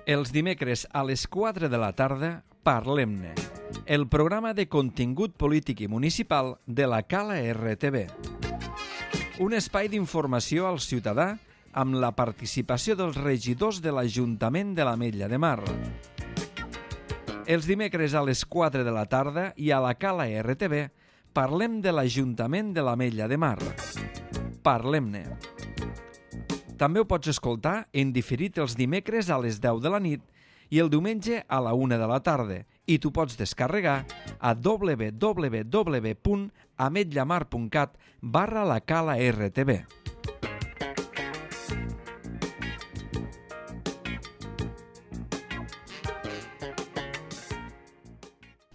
Els dimecres a les 4 de la tarda, Parlem-ne, el programa de contingut polític i municipal de la Cala RTV. Un espai d'informació al ciutadà amb la participació dels regidors de l'Ajuntament de l'Ametlla de Mar. Els dimecres a les 4 de la tarda i a la Cala RTV parlem de l'Ajuntament de l'Ametlla de Mar. Parlem-ne. També ho pots escoltar en diferit els dimecres a les 10 de la nit i el diumenge a la 1 de la tarda i t'ho pots descarregar a www.ametllamar.cat/la Cala RTV.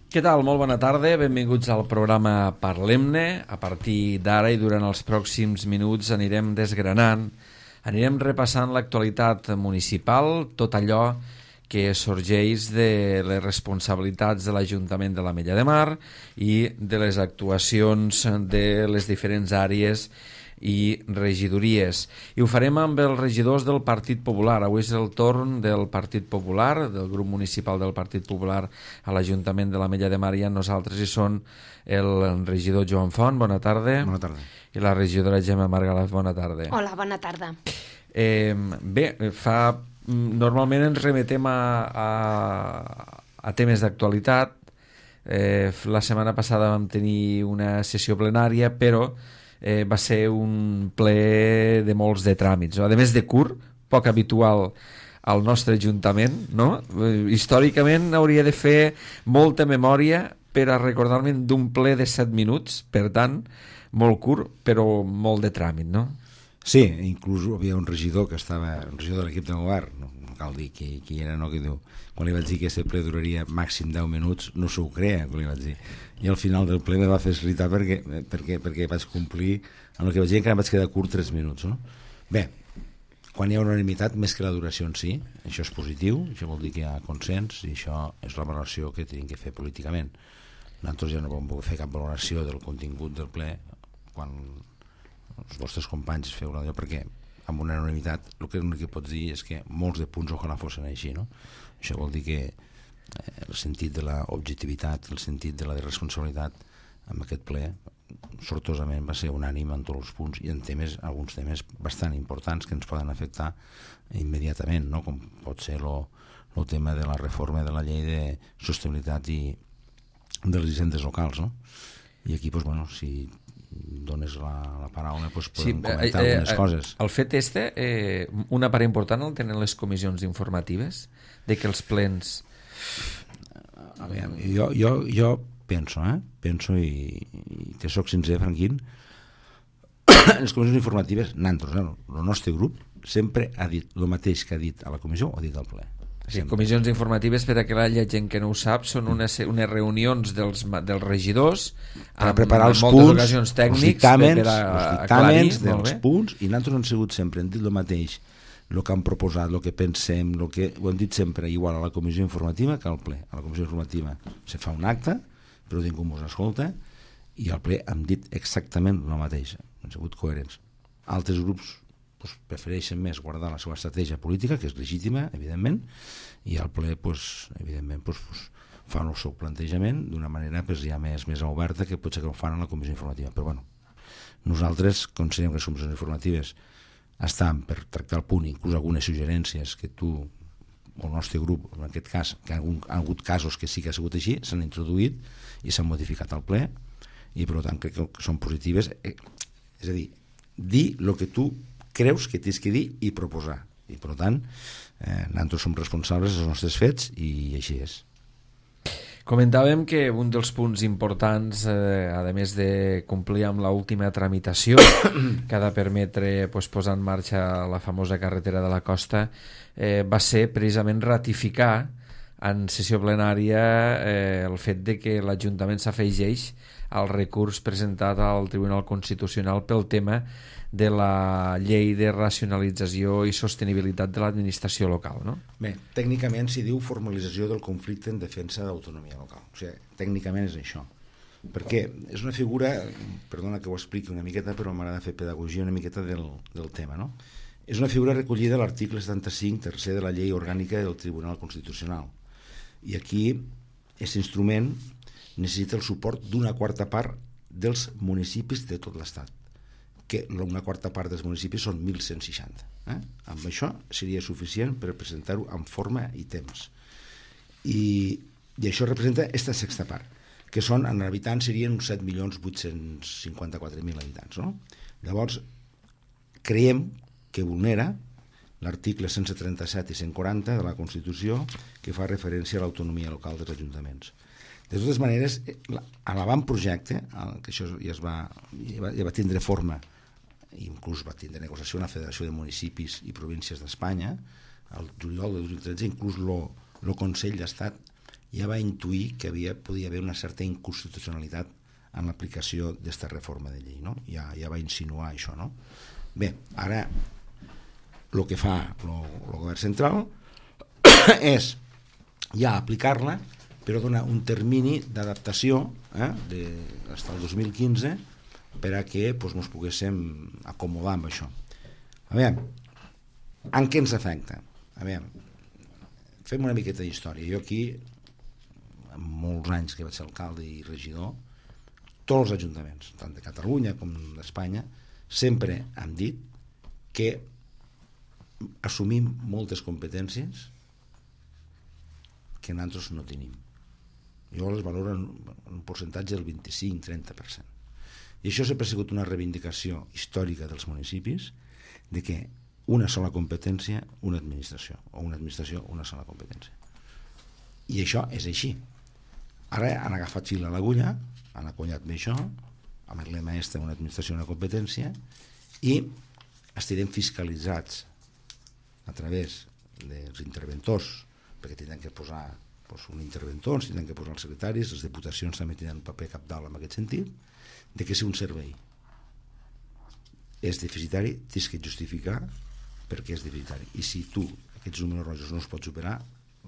Què tal? Molt bona tarda, benvinguts al programa Parlem-ne. A partir d'ara i durant els pròxims minuts anirem desgranant, anirem repassant l'actualitat municipal, tot allò que sorgeix de les responsabilitats de l'Ajuntament de l'Ametlla de Mar i de les actuacions de les diferents àrees i regidories. I ho farem amb els regidors del Partit Popular. Avui és el torn del Partit Popular, del grup municipal del Partit Popular a l'Ajuntament de l'Ametlla de Mar, i amb nosaltres hi són el regidor Joan Font, bona tarda. Bona tarda. I la regidora Gemma Margalaf, bona tarda. Hola, bona tarda. Normalment ens remetem a temes d'actualitat. La setmana passada vam tenir una sessió plenària, però va ser un ple de molts de tràmits, no? A més de curt, poc habitual al nostre Ajuntament, no? Històricament hauria de fer molta memòria per a recordar-me d'un ple de 7 minuts, per tant, molt curt, però molt de tràmit, no? Sí, inclús havia un regidor que estava, un regidor de l'equip de govern, no cal dir qui era, no, que diu, quan li vaig dir que aquest ple duraria màxim 10 minuts, no s'ho creia, quan li vaig dir. I al final del ple me va fer irritar perquè vaig complir amb el que vaig dir, encara vaig quedar curt 3 minuts, no? Bé, quan hi ha unanimitat, més que la duració en si, això és positiu, això vol dir que hi ha consens i això és la valoració que tenim que fer políticament. Nosaltres ja no vam poder fer cap valoració del contingut del ple quan els vostres companys feu l'allò, perquè amb una unanimitat el que pots dir és que molts de punts ojalà fossin així, no? Això vol dir que el sentit de l'objectivitat, el sentit de la responsabilitat en aquest ple sortosament va ser unànime en tots els punts i en temes, alguns temes bastant importants que ens poden afectar immediatament, no? Com pot ser el tema de la reforma de la llei de sostenibilitat i de les hisendes locals, no? I aquí, doncs, bueno, si dones la paraula, doncs podem comentar algunes coses. El fet una part important el tenen les comissions informatives, de que els plens... A veure, jo penso i que soc sincer, Franquín, les comissions informatives, nosaltres, el nostre grup sempre ha dit el mateix que ha dit a la comissió o ha dit al ple. Sí, comissions informatives, per a que la gent que no ho sap, són unes reunions dels regidors per preparar els punts, els dictàmens dels punts, i nosaltres hem sigut sempre, hem dit el mateix, el que han proposat, el que pensem, ho hem dit sempre igual a la comissió informativa que al ple. A la comissió informativa se fa un acte, però ningú ens escolta, i al ple hem dit exactament el mateix, hem sigut coherents. Altres grups prefereixen més guardar la seva estratègia política, que és legítima, evidentment, i al ple, evidentment, fan el seu plantejament d'una manera ja més oberta que potser que ho fan a la comissió informativa. Però bueno, nosaltres considerem que les comissions informatives estan per tractar el punt, inclús algunes suggerències que tu o el nostre grup, en aquest cas, que han hagut casos que sí que ha sigut així, s'han introduït i s'han modificat al ple, i per tant crec que són positives. És a dir el que tu creus que tens que dir i proposar, i per tant nosaltres som responsables dels nostres fets i així és. Comentàvem que un dels punts importants, a més de complir amb l'última tramitació que ha de permetre posar en marxa la famosa carretera de la costa, va ser precisament ratificar en sessió plenària el fet de que l'Ajuntament s'afegeix al recurs presentat al Tribunal Constitucional pel tema de la llei de racionalització i sostenibilitat de l'administració local, no? Bé, tècnicament s'hi diu formalització del conflicte en defensa d'autonomia local. O sigui, tècnicament és això. Perquè és una figura, perdona que ho expliqui una miqueta, però m'agrada fer pedagogia una miqueta del tema, no? És una figura recollida a l'article 75 tercer de la Llei Orgànica del Tribunal Constitucional. I aquí, aquest instrument necessita el suport d'una quarta part dels municipis de tot l'Estat, que una quarta part dels municipis són 1.160. Amb això seria suficient per presentar-ho en forma i temps. I això representa aquesta sexta part, que són, en habitants serien uns 7.854.000 habitants. No? Llavors, creiem que vulnera l'article 137 i 140 de la Constitució, que fa referència a l'autonomia local dels ajuntaments. De totes maneres, a l'avantprojecte, que això ja va tindre forma, inclús va tindre negociació amb la Federació de Municipis i Províncies d'Espanya, el juliol de 2013, inclús el Consell d'Estat ja va intuir que podia haver una certa inconstitucionalitat en l'aplicació d'aquesta reforma de llei, no? Ja va insinuar això, no? Bé, ara el que fa el govern central és ja aplicar-la, però donar un termini d'adaptació fins al 2015 per a que ens poguéssim acomodar amb això. A veure, en què ens afecta? A veure, fem una miqueta d'història. Jo aquí, en molts anys que vaig ser alcalde i regidor, tots els ajuntaments, tant de Catalunya com d'Espanya, sempre han dit que assumim moltes competències que nosaltres no tenim. Jo les valoro en un percentatge del 25-30%. I això sempre ha sigut una reivindicació històrica dels municipis de que una sola competència, una administració, o una administració, una sola competència. I això és així. Ara han agafat fil a l'agulla, han acollat bé això, amb el lema una administració, una competència, i estarem fiscalitzats a través dels interventors, perquè tindran que posar un interventor, tindran que posar els secretaris, les diputacions també tindran un paper cabdal en aquest sentit, de que si un servei és deficitari, tens que justificar per què és deficitari. I si tu aquests números rojos no els pots superar,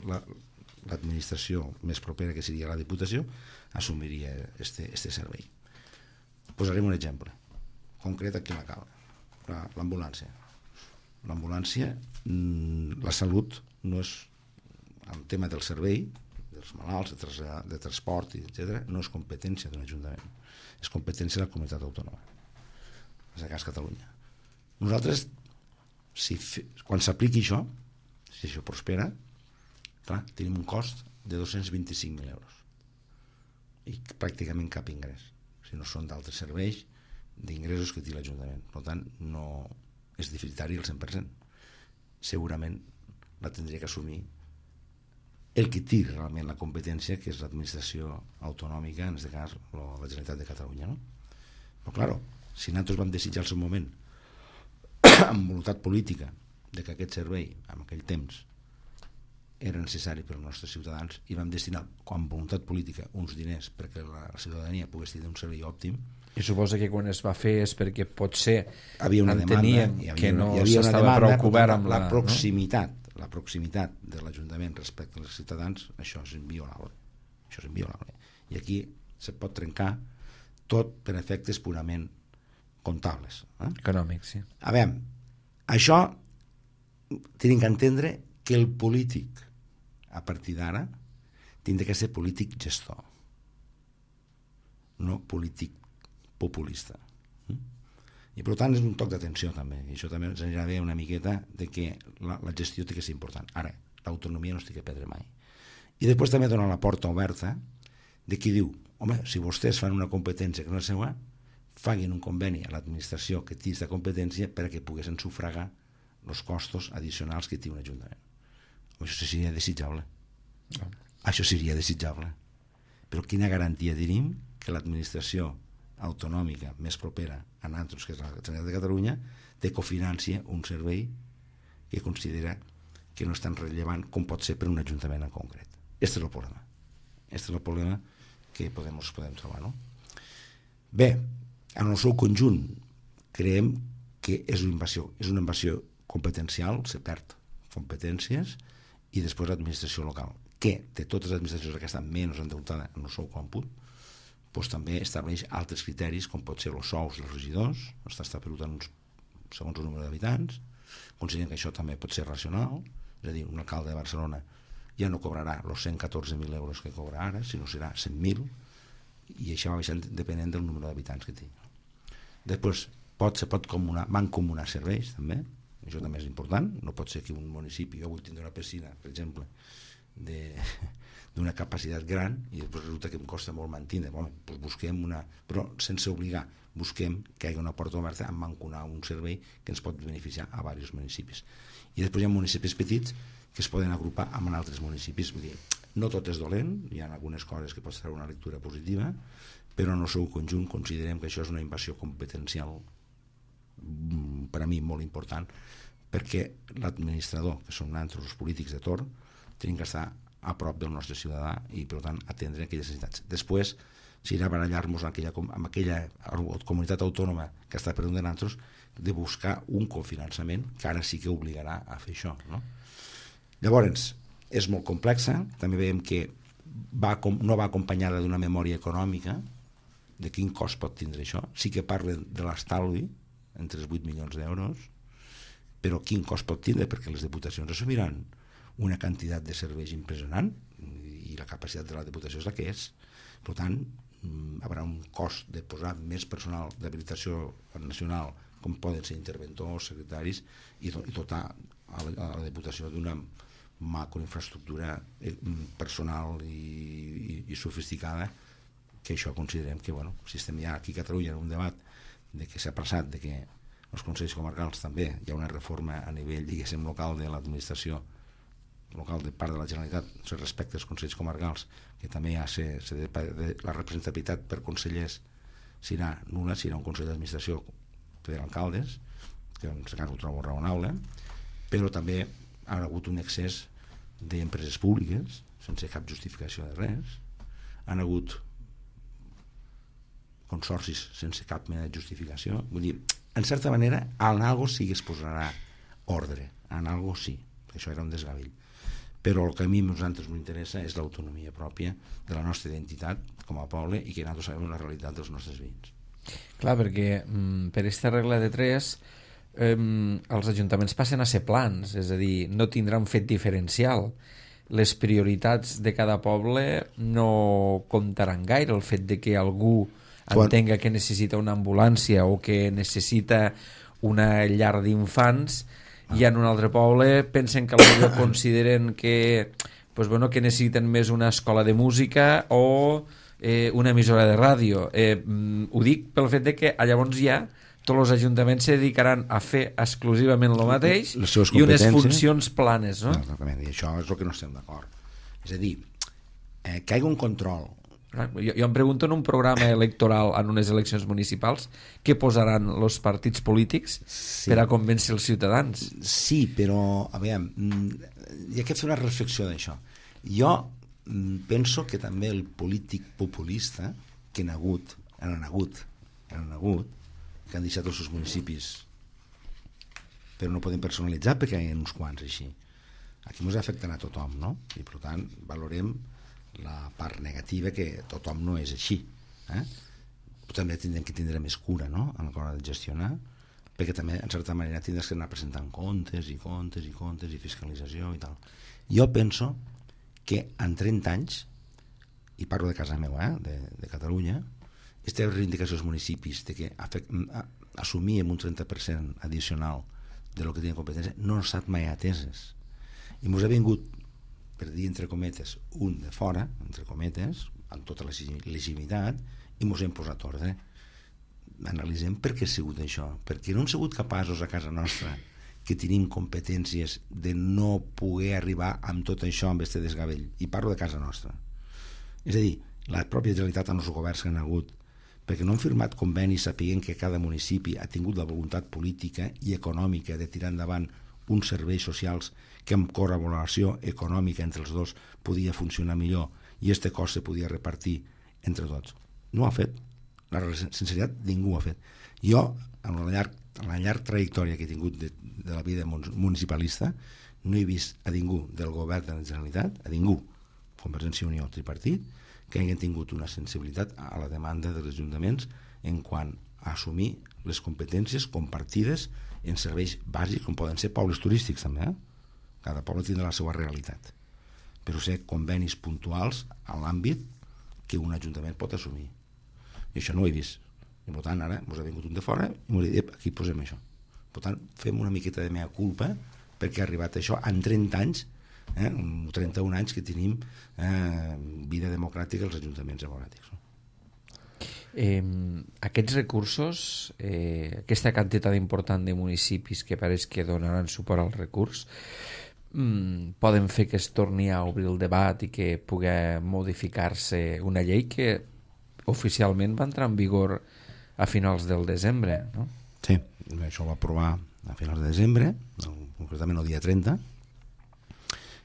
l'administració més propera, que seria la Diputació, assumiria este servei. Posarem un exemple concret aquí a la Cala, l'ambulància. L'ambulància, la salut no és el tema del servei, dels malalts, de transport, etc., no és competència d'un ajuntament, és competència de la comunitat autònoma, és el cas Catalunya. Nosaltres, quan s'apliqui això, si això prospera, clar, tenim un cost de 225.000 euros i pràcticament cap ingrés, si no són d'altres serveis d'ingressos que té l'Ajuntament. Per tant, no és deficitari al 100%. Segurament la tindria que assumir el que té realment la competència, que és l'administració autonòmica, en aquest cas la Generalitat de Catalunya, no? Però clar, si nosaltres vam desitjar al seu moment amb voluntat política de que aquest servei en aquell temps era necessari per als nostres ciutadans i vam destinar amb voluntat política uns diners perquè la ciutadania pogués tenir un servei òptim. I suposa que quan es va fer és perquè potser entenien que no s'estava prou cobert amb la proximitat, la proximitat de l'Ajuntament respecte als ciutadans. Això és inviolable. I aquí se pot trencar tot per efectes purament comptables. Econòmics, sí. A veure, això tenim que entendre que el polític, a partir d'ara, tindrà que ser polític gestor, no polític populista. I per tant és un toc d'atenció també, i això també ens anirà bé una miqueta de que la gestió té que ser important. Ara, l'autonomia no es té que perdre mai. I després també dona la porta oberta de qui diu, home, si vostès fan una competència que no és seva, facin un conveni a l'administració que té aquesta competència perquè poguessin sufragar els costos addicionals que té un ajuntament. Això seria desitjable. Això seria desitjable. Però quina garantia tenim que l'administració autonòmica més propera a nosaltres, que és la Generalitat de Catalunya, te cofinança un servei que considera que no és tan rellevant com pot ser per un ajuntament en concret. Aquest és el problema. Aquest és el problema que podem trobar, no? Bé, en el seu conjunt creiem que és una invasió competencial, se perd competències, i després l'administració local, que de totes les administracions que estan menys endeutada en el seu còmput, doncs també estableix altres criteris, com pot ser els sous dels regidors, està establert segons el número d'habitants, Considerem que això també pot ser racional, és a dir, un alcalde de Barcelona ja no cobrarà els 114.000 euros que cobra ara, sinó serà 100.000, i això va baixant depenent del número d'habitants que tingui. Després se pot mancomunar serveis també, això també és important. No pot ser que un municipi, jo vull tindre una piscina, per exemple, d'una capacitat gran, i després resulta que em costa molt mantenir. Doncs busquem una, però sense obligar, busquem que hi hagi una porta oberta a mancomunar un servei que ens pot beneficiar a diversos municipis. I després hi ha municipis petits que es poden agrupar amb altres municipis. Vull dir, no tot és dolent, hi ha algunes coses que pots treure una lectura positiva, però en el seu conjunt considerem que això és una invasió competencial per a mi molt important, perquè l'administrador, que són nosaltres els polítics de torn, tenim que estar a prop del nostre ciutadà i per tant atendre aquelles necessitats. Després serà barallar-nos amb aquella comunitat autònoma que està per damunt de nosaltres, de buscar un cofinançament que ara sí que obligarà a fer això, no? Llavors, és molt complexa, també veiem que no va acompanyada d'una memòria econòmica de quin cost pot tindre això. Sí que parlen de l'estalvi entre els 8 milions d'euros, però quin cost pot tindre, perquè les diputacions assumiran una quantitat de serveis impressionant i la capacitat de la diputació és la que és. Per tant, hi haurà un cost de posar més personal d'habilitació nacional, com poden ser interventors, secretaris, i dotar a la diputació d'una macroinfraestructura personal i sofisticada, que això considerem que, si estem ja aquí a Catalunya en un debat de que s'ha passat, de que els consells comarcals també hi ha una reforma a nivell, diguéssim, local de l'administració local de part de la Generalitat respecte als consells comarcals, que també ja la representativitat per consellers serà nul·la, serà un consell d'administració per alcaldes, que en aquest cas ho trobo raonable, però també ha hagut un excés d'empreses públiques sense cap justificació de res, han hagut consorcis sense cap mena de justificació. Vull dir, en certa manera, en algo sí que es posarà ordre, en algo sí, això era un desgavell. Però el que a mi nosaltres m'interessa és l'autonomia pròpia de la nostra identitat com a poble i que nosaltres sabem la realitat dels nostres veïns. Clar, perquè per aquesta regla de 3 els ajuntaments passen a ser plans, és a dir, no tindrà un fet diferencial. Les prioritats de cada poble no comptaran gaire. El fet de que algú entenga que necessita una ambulància o que necessita una llar d'infants i en un altre poble pensen que potser consideren que, que necessiten més una escola de música o una emissora de ràdio. Ho dic pel fet de que llavors ja tots els ajuntaments se dedicaran a fer exclusivament el mateix i unes funcions planes, no? Exactament, i això és el que no estem d'acord. És a dir, que hi hagi un control. Jo em pregunto en un programa electoral en unes eleccions municipals què posaran els partits polítics per a convèncer els ciutadans. Sí, però a veure, hi ha que fer una reflexió d'això. Jo penso que també el polític populista que han hagut que han deixat els seus municipis però no poden personalitzar perquè hi ha uns quants així. Aquí ens afecten a tothom, no? I per tant valorem la part negativa, que tothom no és així, també tindrem que tindre més cura, no?, a l'hora de gestionar, perquè també en certa manera tindràs que anar presentant comptes i fiscalització i tal. Jo penso que en 30 anys, i parlo de casa meva, de Catalunya, aquesta reivindicació als municipis de que assumíem un 30% addicional de lo que tenen competència no ha estat mai ateses, i ens ha vingut, per dir entre cometes, un de fora, entre cometes, amb tota la legitimitat, i ens hem posat ordre. Analitzem per què ha sigut això, perquè no hem sigut capaços a casa nostra, que tenim competències, de no poder arribar amb tot això, amb aquest desgavell, i parlo de casa nostra. És a dir, la pròpia Generalitat amb els governs que han hagut, perquè no han firmat convenis sapiguent que cada municipi ha tingut la voluntat política i econòmica de tirar endavant uns serveis socials que amb col·laboració econòmica entre els dos podia funcionar millor i aquest cost se podia repartir entre tots. No ho ha fet. La sinceritat, ningú ho ha fet. Jo, en la llarga trajectòria que he tingut de la vida municipalista, no he vist a ningú del govern de la Generalitat, a ningú, Convergència i Unió, tripartit, que hagin tingut una sensibilitat a la demanda dels ajuntaments en quant a assumir les competències compartides en serveis bàsics, com poden ser pobles turístics també, cada poble tindrà la seva realitat, però ser convenis puntuals a l'àmbit que un ajuntament pot assumir, i això no ho he vist, i per tant ara ens ha vingut un de fora i m'ha dit, aquí posem això. Per tant, fem una miqueta de mea culpa perquè ha arribat això en 30 anys, 31 anys que tenim vida democràtica als ajuntaments democràtics. Aquests recursos, aquesta quantitat important de municipis que pareix que donaran suport al recurs, poden fer que es torni a obrir el debat i que pugui modificar-se una llei que oficialment va entrar en vigor a finals del desembre, no? Sí, això ho va aprovar a finals de desembre, concretament el dia 30,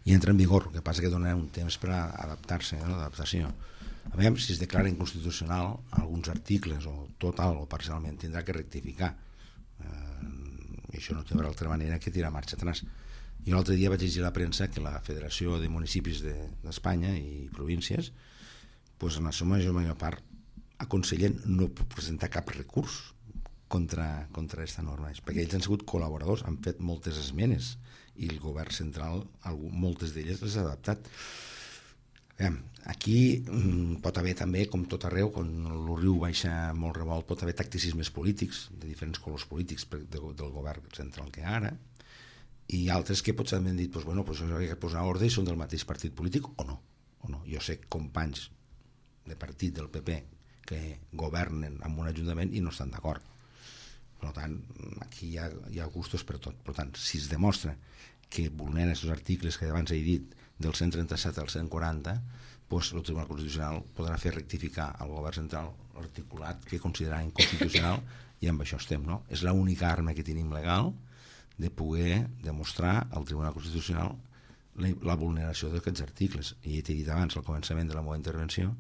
i entra en vigor. El que passa que dona un temps per adaptar-se, l'adaptació. A veure si es declara inconstitucional alguns articles, o total o parcialment, tindrà que rectificar. I això no tindrà altra manera que tirar marxa atrás. I l'altre dia vaig llegir a la premsa que la Federació de Municipis d'Espanya i províncies, doncs en la seva major part aconsellen no presentar cap recurs contra aquesta norma, perquè ells han sigut col·laboradors, han fet moltes esmenes i el govern central moltes d'elles les ha adaptat. Aquí pot haver també, com tot arreu, quan el riu baixa molt revolt, pot haver tacticismes polítics de diferents colors polítics del govern central que ara, i altres que potser han dit doncs això hi ha que posar ordre i són del mateix partit polític o no. Jo sé companys de partit del PP que governen en un ajuntament i no estan d'acord. Per tant, aquí hi ha gustos per tot. Per tant, si es demostra que vulnera aquests articles que abans he dit del 137 al 140, doncs el Tribunal Constitucional podrà fer rectificar al govern central l'articulat que considerarà inconstitucional, i amb això estem, no? És l'única arma que tenim legal de poder demostrar al Tribunal Constitucional la vulneració d'aquests articles. I he dit abans, al començament de la meva intervenció,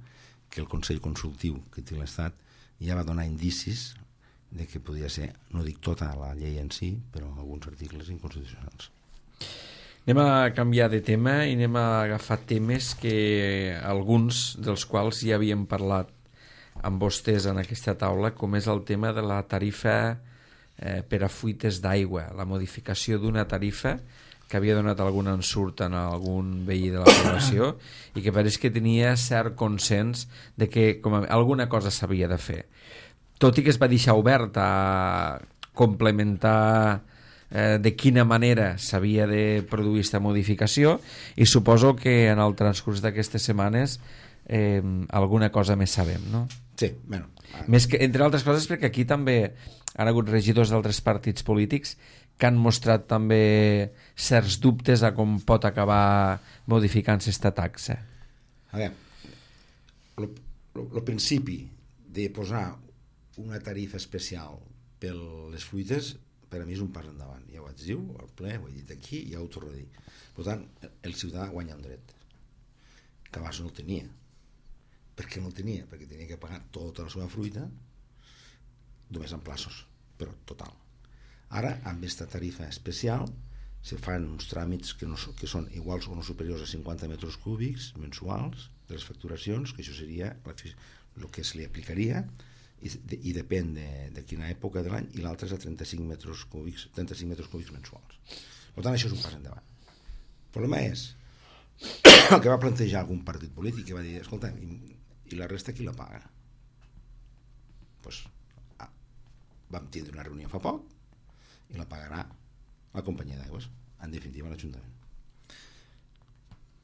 que el Consell Consultiu que té l'Estat ja va donar indicis de que podia ser, no dic tota la llei en si, però alguns articles inconstitucionals. Anem a canviar de tema i anem a agafar temes que alguns dels quals ja havíem parlat amb vostès en aquesta taula, com és el tema de la tarifa per a fuites d'aigua, la modificació d'una tarifa que havia donat algun ensurt en algun veí de la població i que pareix que tenia cert consens de que alguna cosa s'havia de fer. Tot i que es va deixar obert a complementar de quina manera s'havia de produir aquesta modificació, i suposo que en el transcurs d'aquestes setmanes alguna cosa més sabem, no? Sí, bueno. Més que, entre altres coses, perquè aquí també han hagut regidors d'altres partits polítics que han mostrat també certs dubtes a com pot acabar modificant-se aquesta taxa. A veure, el principi de posar una tarifa especial per les fruites per a mi és un pas endavant. Ja ho vaig dir al ple, ho he dit aquí, ja ho torno a dir. Per tant, el ciutadà guanya un dret que abans no el tenia. Per què no el tenia? Perquè tenia que pagar tota la seva fruita només en plaços, però total. Ara, amb aquesta tarifa especial, se fan uns tràmits que són iguals o no superiors a 50 metres cúbics mensuals de les facturacions, que això seria el que se li aplicaria, i depèn de quina època de l'any, i l'altre és a 35 metres cúbics mensuals. Per tant, això és un pas endavant. El problema és el que va plantejar algun partit polític, que va dir, escolta, i la resta qui la paga? Doncs vam tindre una reunió fa poc i la pagarà la companyia d'aigües, en definitiva l'Ajuntament.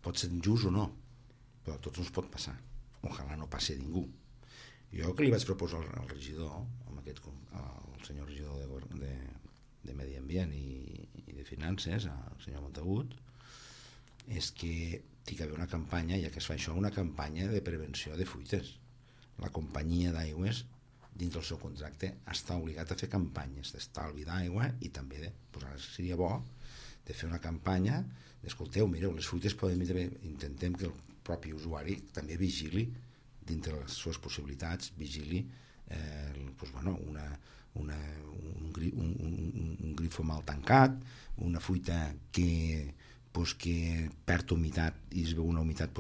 Pot ser injust o no, però a tots ens pot passar. Ojalà no passi a ningú. Jo que li vaig proposar al regidor, al senyor regidor de Medi Ambient i de Finances, al senyor Montagut, és que hi ha d'haver una campanya, ja que es fa això, una campanya de prevenció de fuites. La companyia d'aigües, dins del seu contracte, està obligat a fer campanyes d'estalvi d'aigua, i també ara seria bo de fer una campanya d'escolteu, mireu, les fuites poden... Intentem que el propi usuari també vigili, dintre les seves possibilitats, vigili un grifo mal tancat, una fuita que perd humitat i es veu una humitat,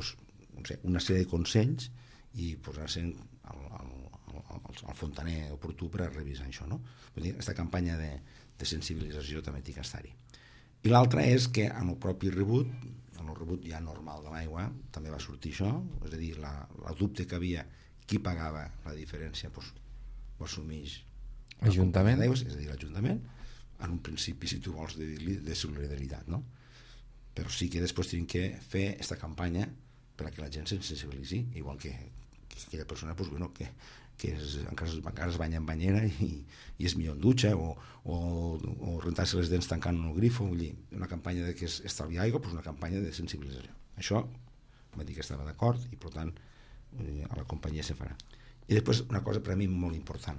una sèrie de consells, i posar-se al fontaner oportú per a revisar això, no? Vull dir, aquesta campanya de sensibilització també té que estar-hi. I l'altra és que en el propi rebut, en el rebut ja normal de l'aigua, també va sortir això, és a dir, la dubte que havia qui pagava la diferència, doncs ho assumeix l'Ajuntament, és a dir, l'Ajuntament, en un principi, si tu vols, de solidaritat, no? Però sí que després tenim que fer aquesta campanya perquè la gent se sensibilitzi, igual que aquella persona pues, bueno, que encara es banya en banyera i és millor en dutxa o rentar-se les dents tancant el grifo. Vull dir, una campanya de que és estalviar aigua, pues una campanya de sensibilització. Això va dir que estava d'acord i per tant a la companyia se farà. I després una cosa per a mi molt important.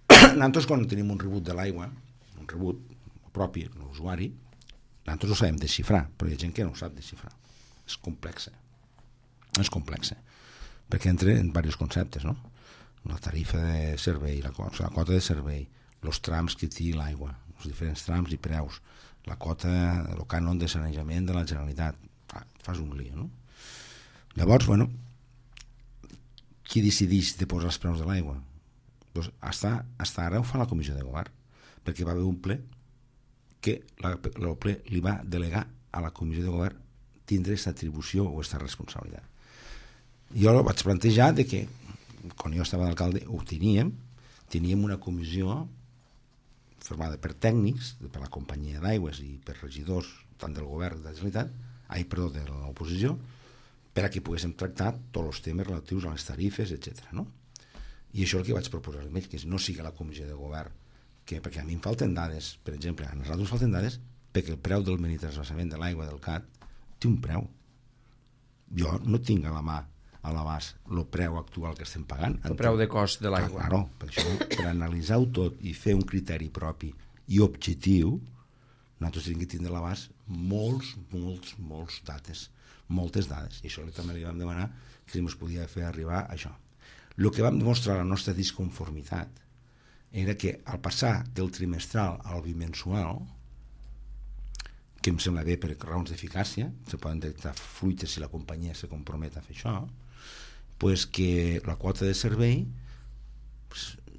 Nosaltres quan tenim un rebut de l'aigua, un rebut propi, l'usuari, nosaltres ho sabem desxifrar, però hi ha gent que no ho sap desxifrar. És complexa. Perquè entra en diversos conceptes, no? La tarifa de servei, la quota de servei, els trams que té l'aigua, els diferents trams i preus, la quota, el cànon de sanejament de la Generalitat. Fas un lío, no? Llavors, bueno, qui decideix de posar els preus de l'aigua? Doncs hasta ara ho fa la Comissió de Govern, perquè va haver un ple que el ple li va delegar a la Comissió de Govern tindre aquesta atribució o aquesta responsabilitat. Jo vaig plantejar de que, quan jo estava d'alcalde, ho teníem una comissió formada per tècnics, per la companyia d'aigües i per regidors, tant del govern de la Generalitat, de l'oposició, per a que poguéssim tractar tots els temes relatius a les tarifes, etc. No? I això és el que vaig proposar a ell, que no sigui la comissió de govern, perquè a mi em falten dades, per exemple, a nosaltres falten dades perquè el preu del minitransvasament de l'aigua del CAT té un preu. Jo no tinc a la mà, a l'abast, el preu actual que estem pagant. El preu de cost de l'aigua. Claro, per això, per analitzar-ho tot i fer un criteri propi i objectiu, nosaltres tenim que tindre a l'abast moltes dades. I això també li vam demanar que si ens podia fer arribar a això. El que vam demostrar la nostra disconformitat era que al passar del trimestral al bimensual, que em sembla bé per raons d'eficàcia, se poden detectar fruites si la companyia se compromet a fer això, pues que la quota de servei,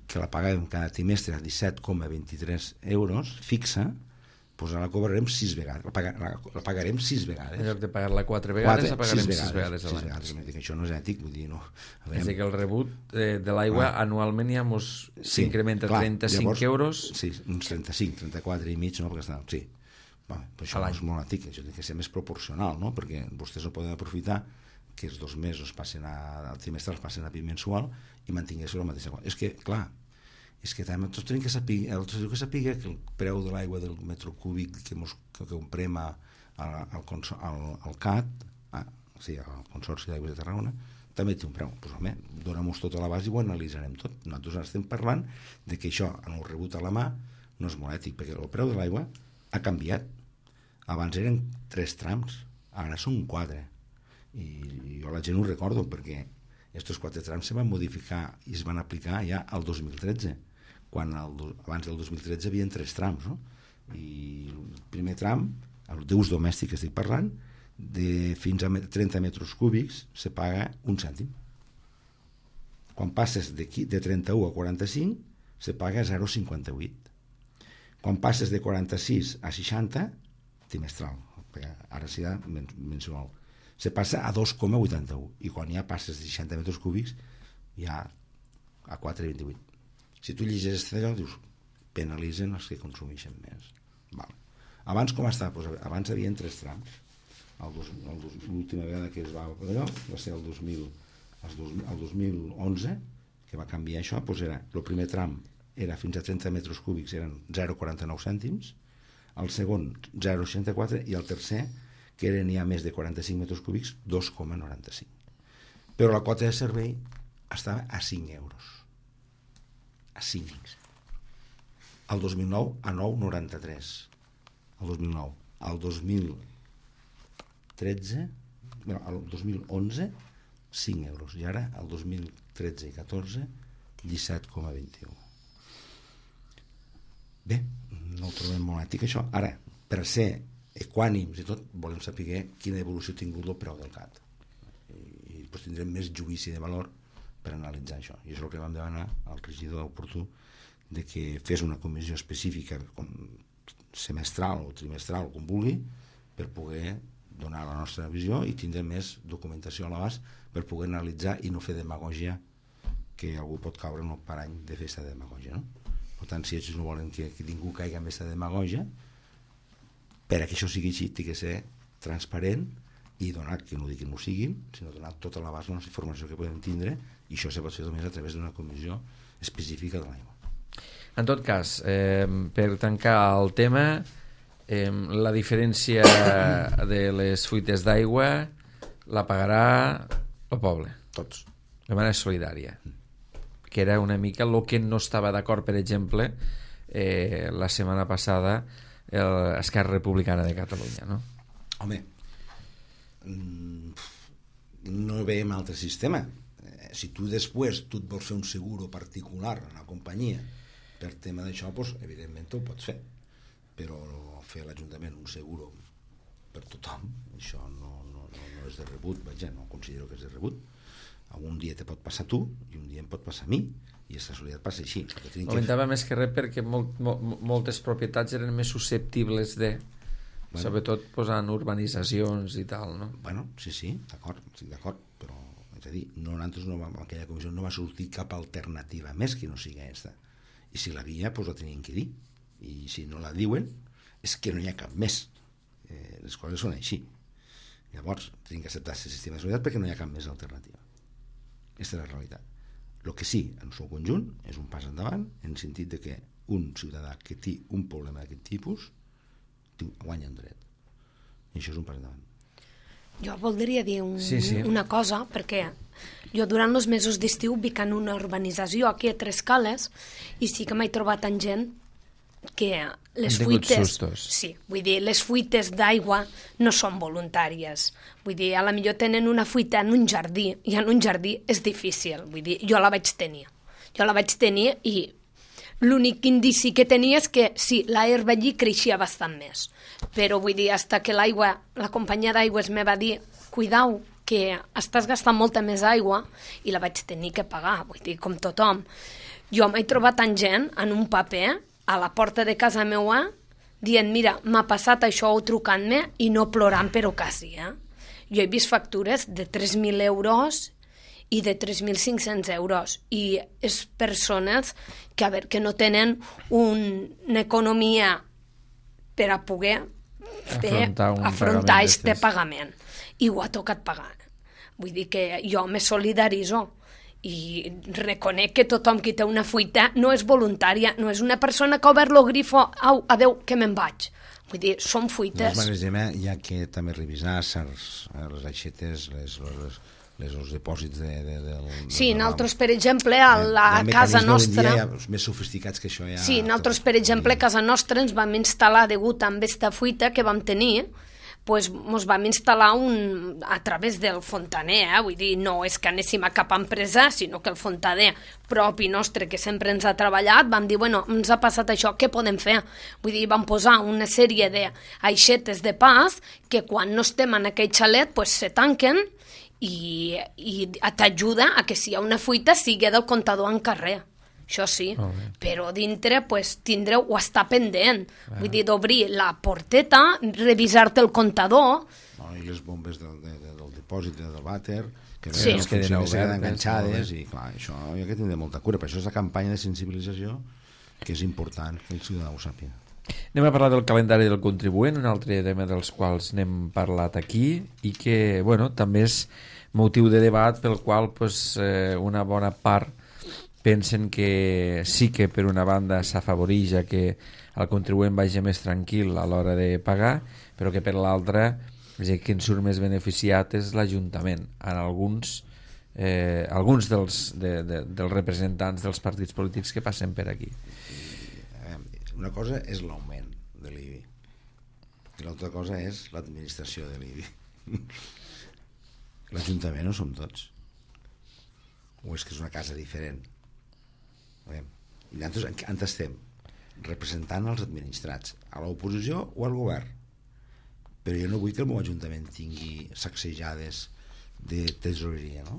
que la paguem cada trimestre a 17,23 euros fixa, pues ara la cobrarem 6 vegades, la pagarem 6 vegades. En lloc de pagar-la 4 vegades, la pagarem 6 vegades a l'any. Això no és ètic, vull dir, no. És a dir, que el rebut de l'aigua anualment ja s'incrementa 35 euros. Sí, uns 35, 34 i mig, no? Perquè està, sí. Això no és molt ètic, això té que ser més proporcional, no? Perquè vostès no poden aprofitar que els 2 mesos al trimestral passen a bimensual i mantinguessin la mateixa quota. És que, clar, també tots tenim que saber que el preu de l'aigua del metre cúbic que comprem al CAT, sí, al Consorci d'Aigües de Tarragona, també té un preu. Doncs home, dóna-nos tot a la base i ho analitzarem tot. Nosaltres estem parlant de que això, en el rebut a la mà, no és molt ètic, perquè el preu de l'aigua ha canviat. Abans eren 3 trams, ara són 4. I jo la gent ho recordo perquè aquests 4 trams se van modificar i es van aplicar ja al 2013, quan abans del 2013 hi havia 3 trams, no? I el primer tram, d'ús domèstic estic parlant, fins a 30 metres cúbics se paga 1 cèntim. Quan passes de 31 a 45 se paga 0,58. Quan passes de 46 a 60, trimestral, ara serà mensual, se passa a 2,81 i quan ja passes de 60 metres cúbics ja a 4,28. Si tu llegeixes allò, dius, penalitzen els que consumeixen més. Abans com està? Abans hi havia 3 trams. L'última vegada que es va allò va ser el 2011, que va canviar això. El primer tram era fins a 30 metres cúbics, eren 0,49 cèntims, el segon 0,64 i el tercer, que eren ja més de 45 metres cúbics, 2,95. Però la quota de servei estava a 5 euros. A 5. El 2009 a 9,93. El 2009. El 2013, el 2011, 5 euros. I ara, el 2013 i 14, 17,21. Bé, no ho trobem molt ètic, això. Ara, per ser equànims i tot, volem saber quina evolució ha tingut el preu del CAT. I després tindrem més judici de valor per analitzar això. I és el que vam demanar al regidor oportú, de que fes una comissió específica semestral o trimestral, com vulgui, per poder donar la nostra visió i tindre més documentació a l'abast per poder analitzar i no fer demagògia, que algú pot caure en el parany de fer aquesta demagògia, no? Per tant, si ells no volen que ningú caigui en aquesta demagògia, per a que això sigui així, té que ser transparent i donar, que no dic que no ho siguin, sinó donar tota l'abast de la informació que podem tindre, i això se pot fer només a través d'una comissió específica de l'aigua. En tot cas, per tancar el tema, la diferència de les fuites d'aigua la pagarà el poble. Tots. De manera solidària. Que era una mica el que no estava d'acord, per exemple, la setmana passada Esquerra Republicana de Catalunya, no? Home, no veiem altre sistema. Si tu després tu et vols fer un seguro particular en la companyia per tema d'això, doncs, evidentment ho pots fer, però fer a l'Ajuntament un seguro per tothom, això no és de rebut, vaja, no considero que és de rebut. Un dia te pot passar a tu i un dia em pot passar a mi, i aquesta solidaritat passa així. Comentava més que res perquè moltes propietats eren més susceptibles de, sobretot posant urbanitzacions i tal, no? Bueno, sí, d'acord, però és a dir, aquella comissió no va sortir cap alternativa més que no sigui aquesta, i si l'havia, doncs la tenien que dir, i si no la diuen és que no hi ha cap més. Les coses són així. Llavors tenim que acceptar aquest sistema de solidaritat perquè no hi ha cap més alternativa. Aquesta és la realitat. El que sí, en el seu conjunt, és un pas endavant en el sentit de que un ciutadà que té un problema d'aquest tipus guanya un dret. I això és un pas endavant. Jo voldria dir una cosa, perquè jo durant els mesos d'estiu vic en una urbanització aquí a Tres Cales i sí que m'he trobat amb gent que les fuites, vull dir, les fuites d'aigua no són voluntàries. Vull dir, a la millor tenen una fuita en un jardí i en un jardí és difícil. Vull dir, jo la vaig tenir i l'únic indici que tenia és que sí, l'herba allí creixia bastant més. Però vull dir, hasta que la companyia d'aigües me va dir, cuidau, que estàs gastant molta més aigua, i la vaig tenir que pagar, vull dir, com tothom. Jo m'he trobat amb gent en un paper a la porta de casa meua dient, mira, m'ha passat això, o trucant-me i no plorant per ocasió. Jo he vist factures de 3.000 euros i de 3.500 euros i és persones que no tenen una economia per a poder afrontar aquest pagament, i ho ha tocat pagar. Vull dir que jo me solidaritzo i reconec que tothom que té una fuita no és voluntària, no és una persona que ha obert el grifo, au, adeu, que me'n vaig. Vull dir, són fuites. Hi ha que també revisar les aixetes, els dipòsits Sí, nosaltres, per exemple, a la casa nostra... Els més sofisticats que això ja... Sí, nosaltres, per exemple, a casa nostra ens vam instal·lar, degut a aquesta fuita que vam tenir, pues ens vam instal·lar a través del fontaner, vull dir, no és que anéssim a cap empresa, sinó que el fontaner propi nostre, que sempre ens ha treballat, vam dir, bueno, ens ha passat això, què podem fer? Vull dir, vam posar una sèrie d'aixetes de pas que quan no estem en aquell xalet, pues se tanquen i t'ajuda a que si hi ha una fuita sigui del comptador en carrer. Això sí, però dintre pues, tindreu o estar pendent. Vull dir, d'obrir la porteta, revisar-te el comptador. I les bombes del dipòsit del vàter, que queden enganxades, i clar, això hi ha que tindre molta cura. Per això és la campanya de sensibilització que és important que el ciutadà ho sàpiga. Anem a parlar del calendari del contribuent, un altre tema dels quals n'hem parlat aquí i que, bueno, també és motiu de debat pel qual pues, una bona part pensen que sí que per una banda s'afavoreix que el contribuent vagi més tranquil a l'hora de pagar, però que per l'altra qui en surt més beneficiat és l'Ajuntament. En alguns dels representants dels partits polítics que passen per aquí. Una cosa és l'augment de l'IBI i l'altra cosa és l'administració de l'IBI. L'Ajuntament no som tots, o és que és una casa diferent? I nosaltres on estem? Representant els administrats, a l'oposició o al govern. Però jo no vull que el meu ajuntament tingui sacsejades de tesoreria, no?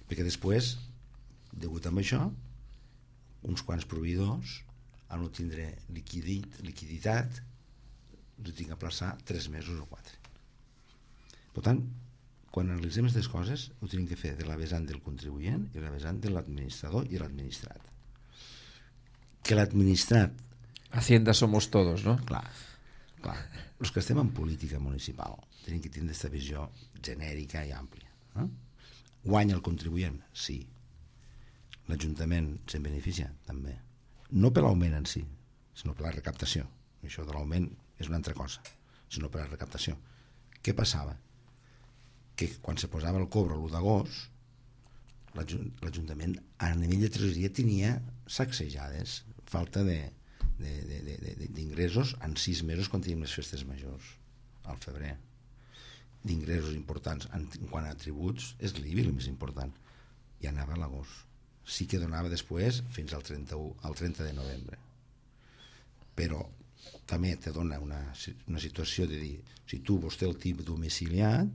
perquè després, degut a això, uns quants proveïdors al no tindre liquiditat ho tinc a plaçar 3 mesos o 4. Per tant, quan analitzem aquestes coses ho tenim que fer de la vessant del contribuent i la vessant de l'administrador i l'administrat. Que l'administrat... Hacienda somos todos, no? Clar. Els que estem en política municipal tenim que tindre aquesta visió genèrica i àmplia. Guanya el contribuent? Sí. L'Ajuntament se'n beneficia? També. No per l'augment en si, sinó per la recaptació. Això de l'augment és una altra cosa, sinó per la recaptació. Què passava? Que quan se posava el cobre l'1 d'agost, l'Ajuntament a nivell de tresoreria tenia sacsejades, falta d'ingressos en 6 mesos quan teníem les festes majors, al febrer. D'ingressos importants en quant a tributs és l'IBI el més important, i anava a l'agost. Sí que donava després fins al 30 de novembre, però també te dona una situació de dir, si tu vostè el tip domiciliat,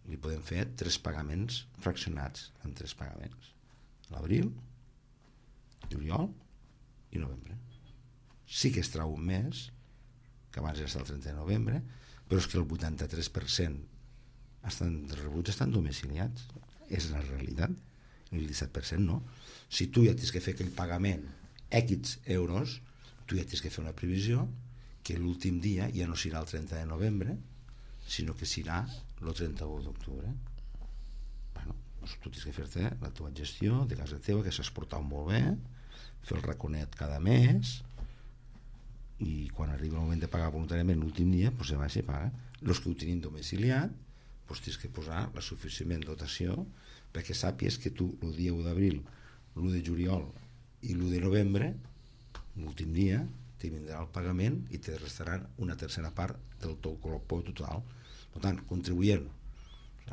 li podem fer 3 pagaments fraccionats en 3 pagaments, l'abril, juliol i novembre. Sí que es trau un mes, que abans era el 30 de novembre, però és que el 83% dels rebuts estan domiciliats, és la realitat. El 17% no. Si tu ja tens que fer aquell pagament X euros, tu ja tens que fer una previsió que l'últim dia ja no serà el 30 de novembre, sinó que serà el 31 d'octubre. Bueno, doncs tu tens que fer-te la teva gestió de casa teva, que s'has portat molt bé, fer el raconet cada mes, i quan arriba el moment de pagar voluntàriament l'últim dia, doncs se va i se paga. Els que ho tenim domiciliat, doncs tens que posar la suficient dotació perquè sàpies que tu el dia 1 d'abril, l'1 de juliol i l'1 de novembre, l'últim dia, te vindrà el pagament i te restaran una tercera part del teu colpó total. Per tant, contribuent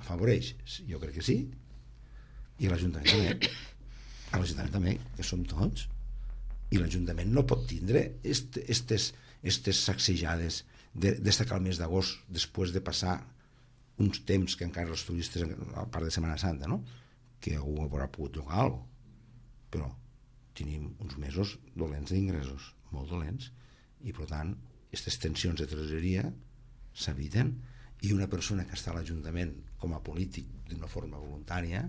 afavoreix? Jo crec que sí, i l'Ajuntament també. A l'Ajuntament també, que som tots, i l'Ajuntament no pot tindre estes sacsejades destacar el mes d'agost després de passar uns temps que encara els turistes a part de Setmana Santa, no? Que algú haurà pogut llogar alguna cosa, però tenim uns mesos dolents d'ingressos, molt dolents, i per tant aquestes tensions de tresoreria s'eviten, i una persona que està a l'Ajuntament com a polític d'una forma voluntària,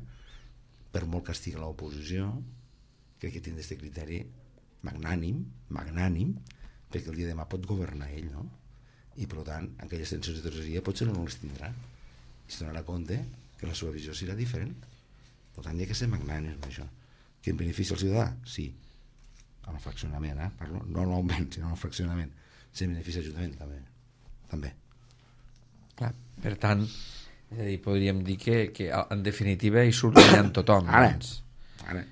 per molt que estigui a l'oposició, crec que tindrà aquest criteri magnànim, perquè el dia de demà pot governar ell, no? I per tant aquelles tensions de tresoreria potser no les tindrà, i es donarà compte que la seva visió serà diferent. Per tant, hi ha que ser magnànim amb això. Que en beneficia el ciutadà? Sí. Amb el fraccionament, parlo, no l'augment, sinó amb el fraccionament. Si en beneficia l'Ajuntament, també. Clar, per tant, podríem dir que en definitiva hi surt guanyant tothom. Ara,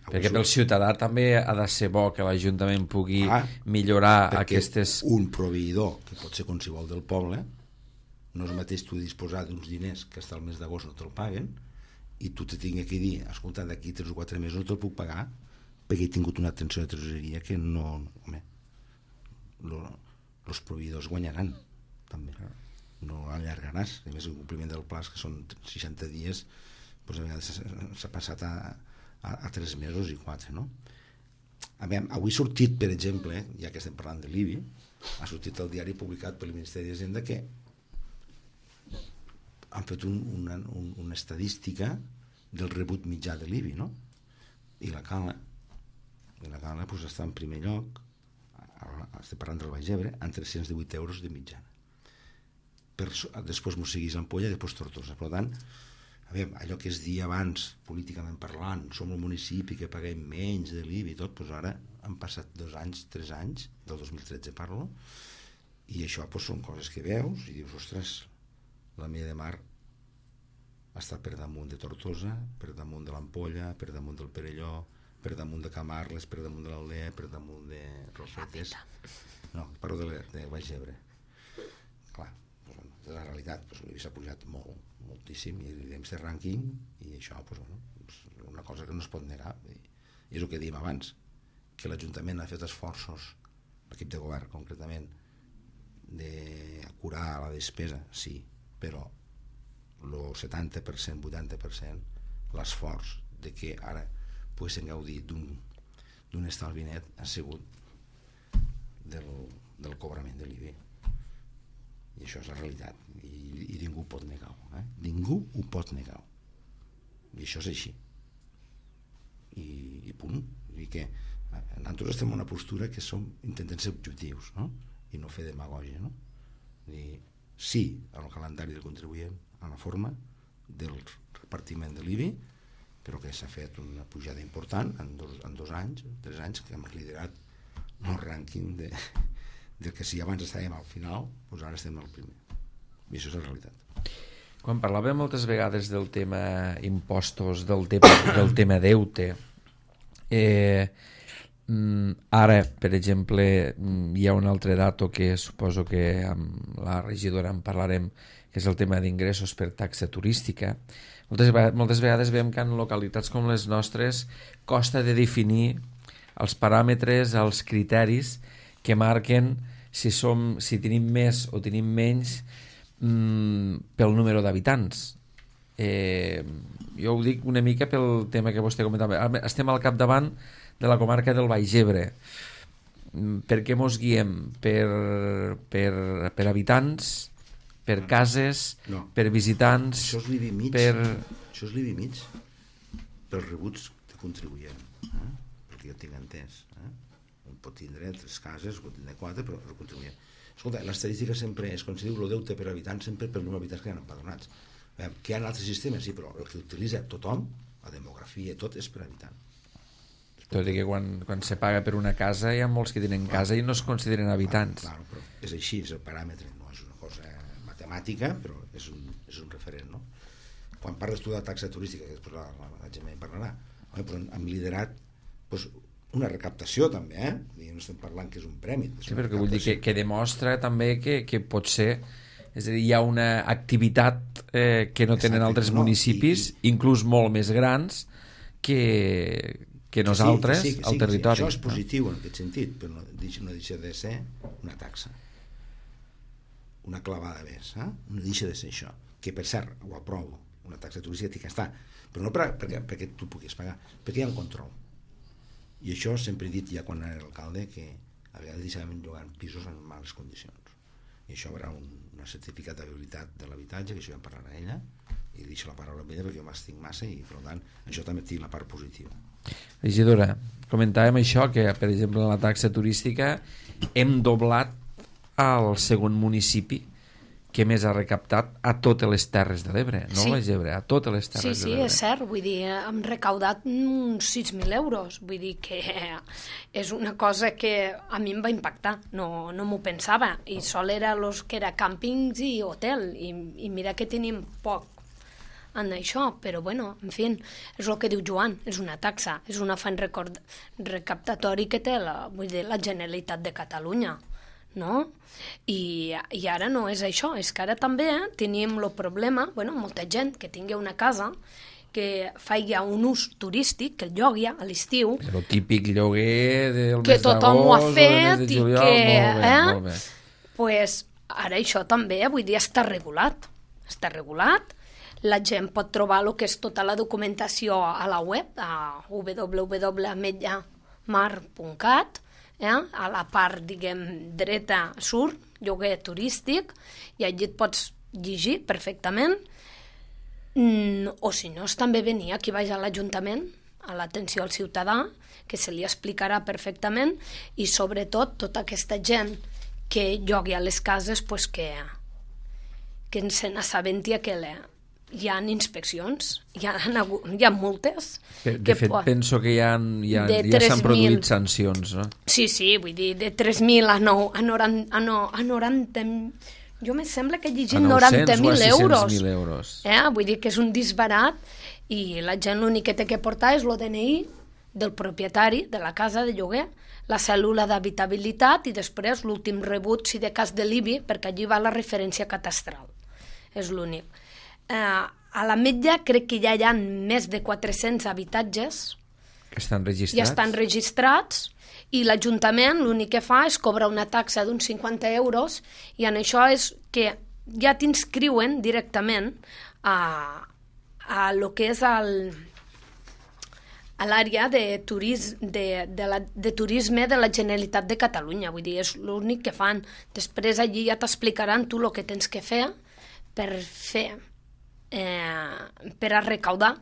perquè pel ciutadà també ha de ser bo que l'Ajuntament pugui millorar aquestes... Un proveïdor, que pot ser qualsevol del poble, no és mateix tu disposar d'uns diners que hasta el mes d'agost no te'l paguen, i tu te tinc que dir, escolta, d'aquí 3 o 4 mesos no te'l puc pagar perquè he tingut una tensió de tresoreria que no... Home, els proveïdors guanyaran també, no allargaràs. A més, el compliment del pla, que són 60 dies, doncs a vegades s'ha passat a 3 mesos i 4, no? A veure, avui ha sortit, per exemple, ja que estem parlant de l'IBI, ha sortit el diari publicat pel Ministeri d'Hisenda que han fet una estadística del rebut mitjà de l'IBI, no? I la Cala doncs, està en primer lloc, estem parlant del Baix Ebre, amb 318 euros de mitjana. Després m'ho seguís Ampolla i després Tortosa. Per tant, a veure, allò que es dia abans, políticament parlant, som el municipi que paguem menys de l'IBI i tot, doncs ara han passat 2 anys, 3 anys, del 2013 parlo, i això doncs, són coses que veus i dius, ostres, la Mella de Mar està per damunt de Tortosa, per damunt de l'Ampolla, per damunt del Perelló, per damunt de Camarles, per damunt de l'Aldea, per damunt de Rosetes. No, parlo de Baix Ebre. Clar, doncs, de la realitat, l'IBI s'ha pujat moltíssim, i diem este rànquing, i això, és una cosa que no es pot negar. I és el que dèiem abans, que l'Ajuntament ha fet esforços, l'equip de govern concretament, de curar la despesa, sí, però el 70%, 80%, l'esforç de que ara poguessin gaudir d'un estalvi net ha sigut del cobrament de l'IBI. I això és la realitat. I ningú pot negar-ho. Ningú ho pot negar. I això és així. I punt. I que nosaltres estem en una postura que intentem ser objectius, no? I no fer demagògia, no? I sí al calendari del contribuent, a la forma del repartiment de l'IBI, però que s'ha fet una pujada important en 2 anys, 3 anys, que hem liderat el rànquing del que si abans estàvem al final, doncs ara estem al primer. I això és la realitat. Quan parlàvem moltes vegades del tema impostos, del tema deute, ara, per exemple, hi ha un altre dato que suposo que amb la regidora en parlarem, que és el tema d'ingressos per taxa turística. Moltes vegades veiem que en localitats com les nostres costa de definir els paràmetres, els criteris que marquen si tenim més o tenim menys pel número d'habitants. Jo ho dic una mica pel tema que vostè comentava. Estem al capdavant de la comarca del Baix Ebre. Per què mos guiem? Per habitants, per cases, per visitants? Això és l'IBI mig. Això és l'IBI mig pels rebuts de contribuent. Perquè jo tinc entès. Un pot tindre 3 cases, pot tindre 4, però el contribuent. Escolta, l'estadística sempre és, quan se diu el deute per habitant, sempre per número d'habitants que hi ha empadronats. Que hi ha altres sistemes, sí, però el que utilitza tothom, la demografia i tot, és per habitant. Tot i que quan se paga per una casa hi ha molts que tenen casa i no es consideren habitants. Clar, però és així, és el paràmetre, no és una cosa matemàtica, però és un referent, no? Quan parles tu de taxa turística, que després la gent en parlarà, però hem liderat una recaptació també, i no estem parlant que és un premi. Sí, però que vull dir que demostra també que pot ser, és a dir, hi ha una activitat que no tenen altres municipis, inclús molt més grans, que nosaltres al territori. Això és positiu en aquest sentit, però no deixa de ser una taxa, una clavada més, no deixa de ser això, que per cert ho aprovo, una taxa turística té que estar, però no perquè tu puguis pagar, perquè hi ha un control. I això sempre he dit ja quan era alcalde, que a vegades deixàvem llogar pisos en males condicions, i això haurà una certificat d'habilitat de l'habitatge, que això ja en parlarà ella, i deixo la paraula amb ella perquè jo m'estic massa i per tant això també té la part positiva. Regidora, comentàvem això, que per exemple en la taxa turística hem doblat al segon municipi que més ha recaptat a totes les Terres de l'Ebre, no a l'Ebre, a totes les Terres de l'Ebre. Sí, és cert, vull dir, hem recaudat uns 6.000 euros, vull dir que és una cosa que a mi em va impactar, no m'ho pensava, i sol era los que era càmpings i hotel, i mira que tenim poc en això, però bueno, en fi, és el que diu Joan, és una taxa, és un afany recaptatori que té la Generalitat de Catalunya, no? I ara no és això, és que ara també tenim el problema, molta gent que tingui una casa que faci un ús turístic, que el llogui a l'estiu. El típic lloguer del mes d'agost, que tothom ho ha fet i que... Molt bé. Pues ara això també, vull dir, està regulat. Està regulat. La gent pot trobar el que és tota la documentació a la web, a www.ametlllamar.cat, a la part, diguem, dreta surt lloguer turístic, i allí et pots llegir perfectament, o si no, també venir aquí baix a l'Ajuntament, a l'atenció al ciutadà, que se li explicarà perfectament, i sobretot tota aquesta gent que llogui a les cases, pues que se n'assabenti que hi ha inspeccions, hi ha multes. De fet, penso que ja s'han produït sancions, no? Sí, vull dir, de 3.000 a 90... Jo me sembla que he llegit 90.000 euros. Vull dir que és un disbarat, i la gent l'únic que té que portar és el DNI del propietari de la casa de lloguer, la cèl·lula d'habitabilitat i després l'últim rebut, si de cas de l'IBI, perquè allí va la referència catastral. És l'únic. A l'Ametlla crec que ja hi ha més de 400 habitatges que estan registrats. Ja estan registrats, i l'Ajuntament l'únic que fa és cobrar una taxa d'uns 50 euros, i en això és que ja t'inscriuen directament a lo que és a l'àrea de turisme de la Generalitat de Catalunya. Vull dir, és l'únic que fan. Després allí ja t'explicaran tu el que tens que fer per a recaudar,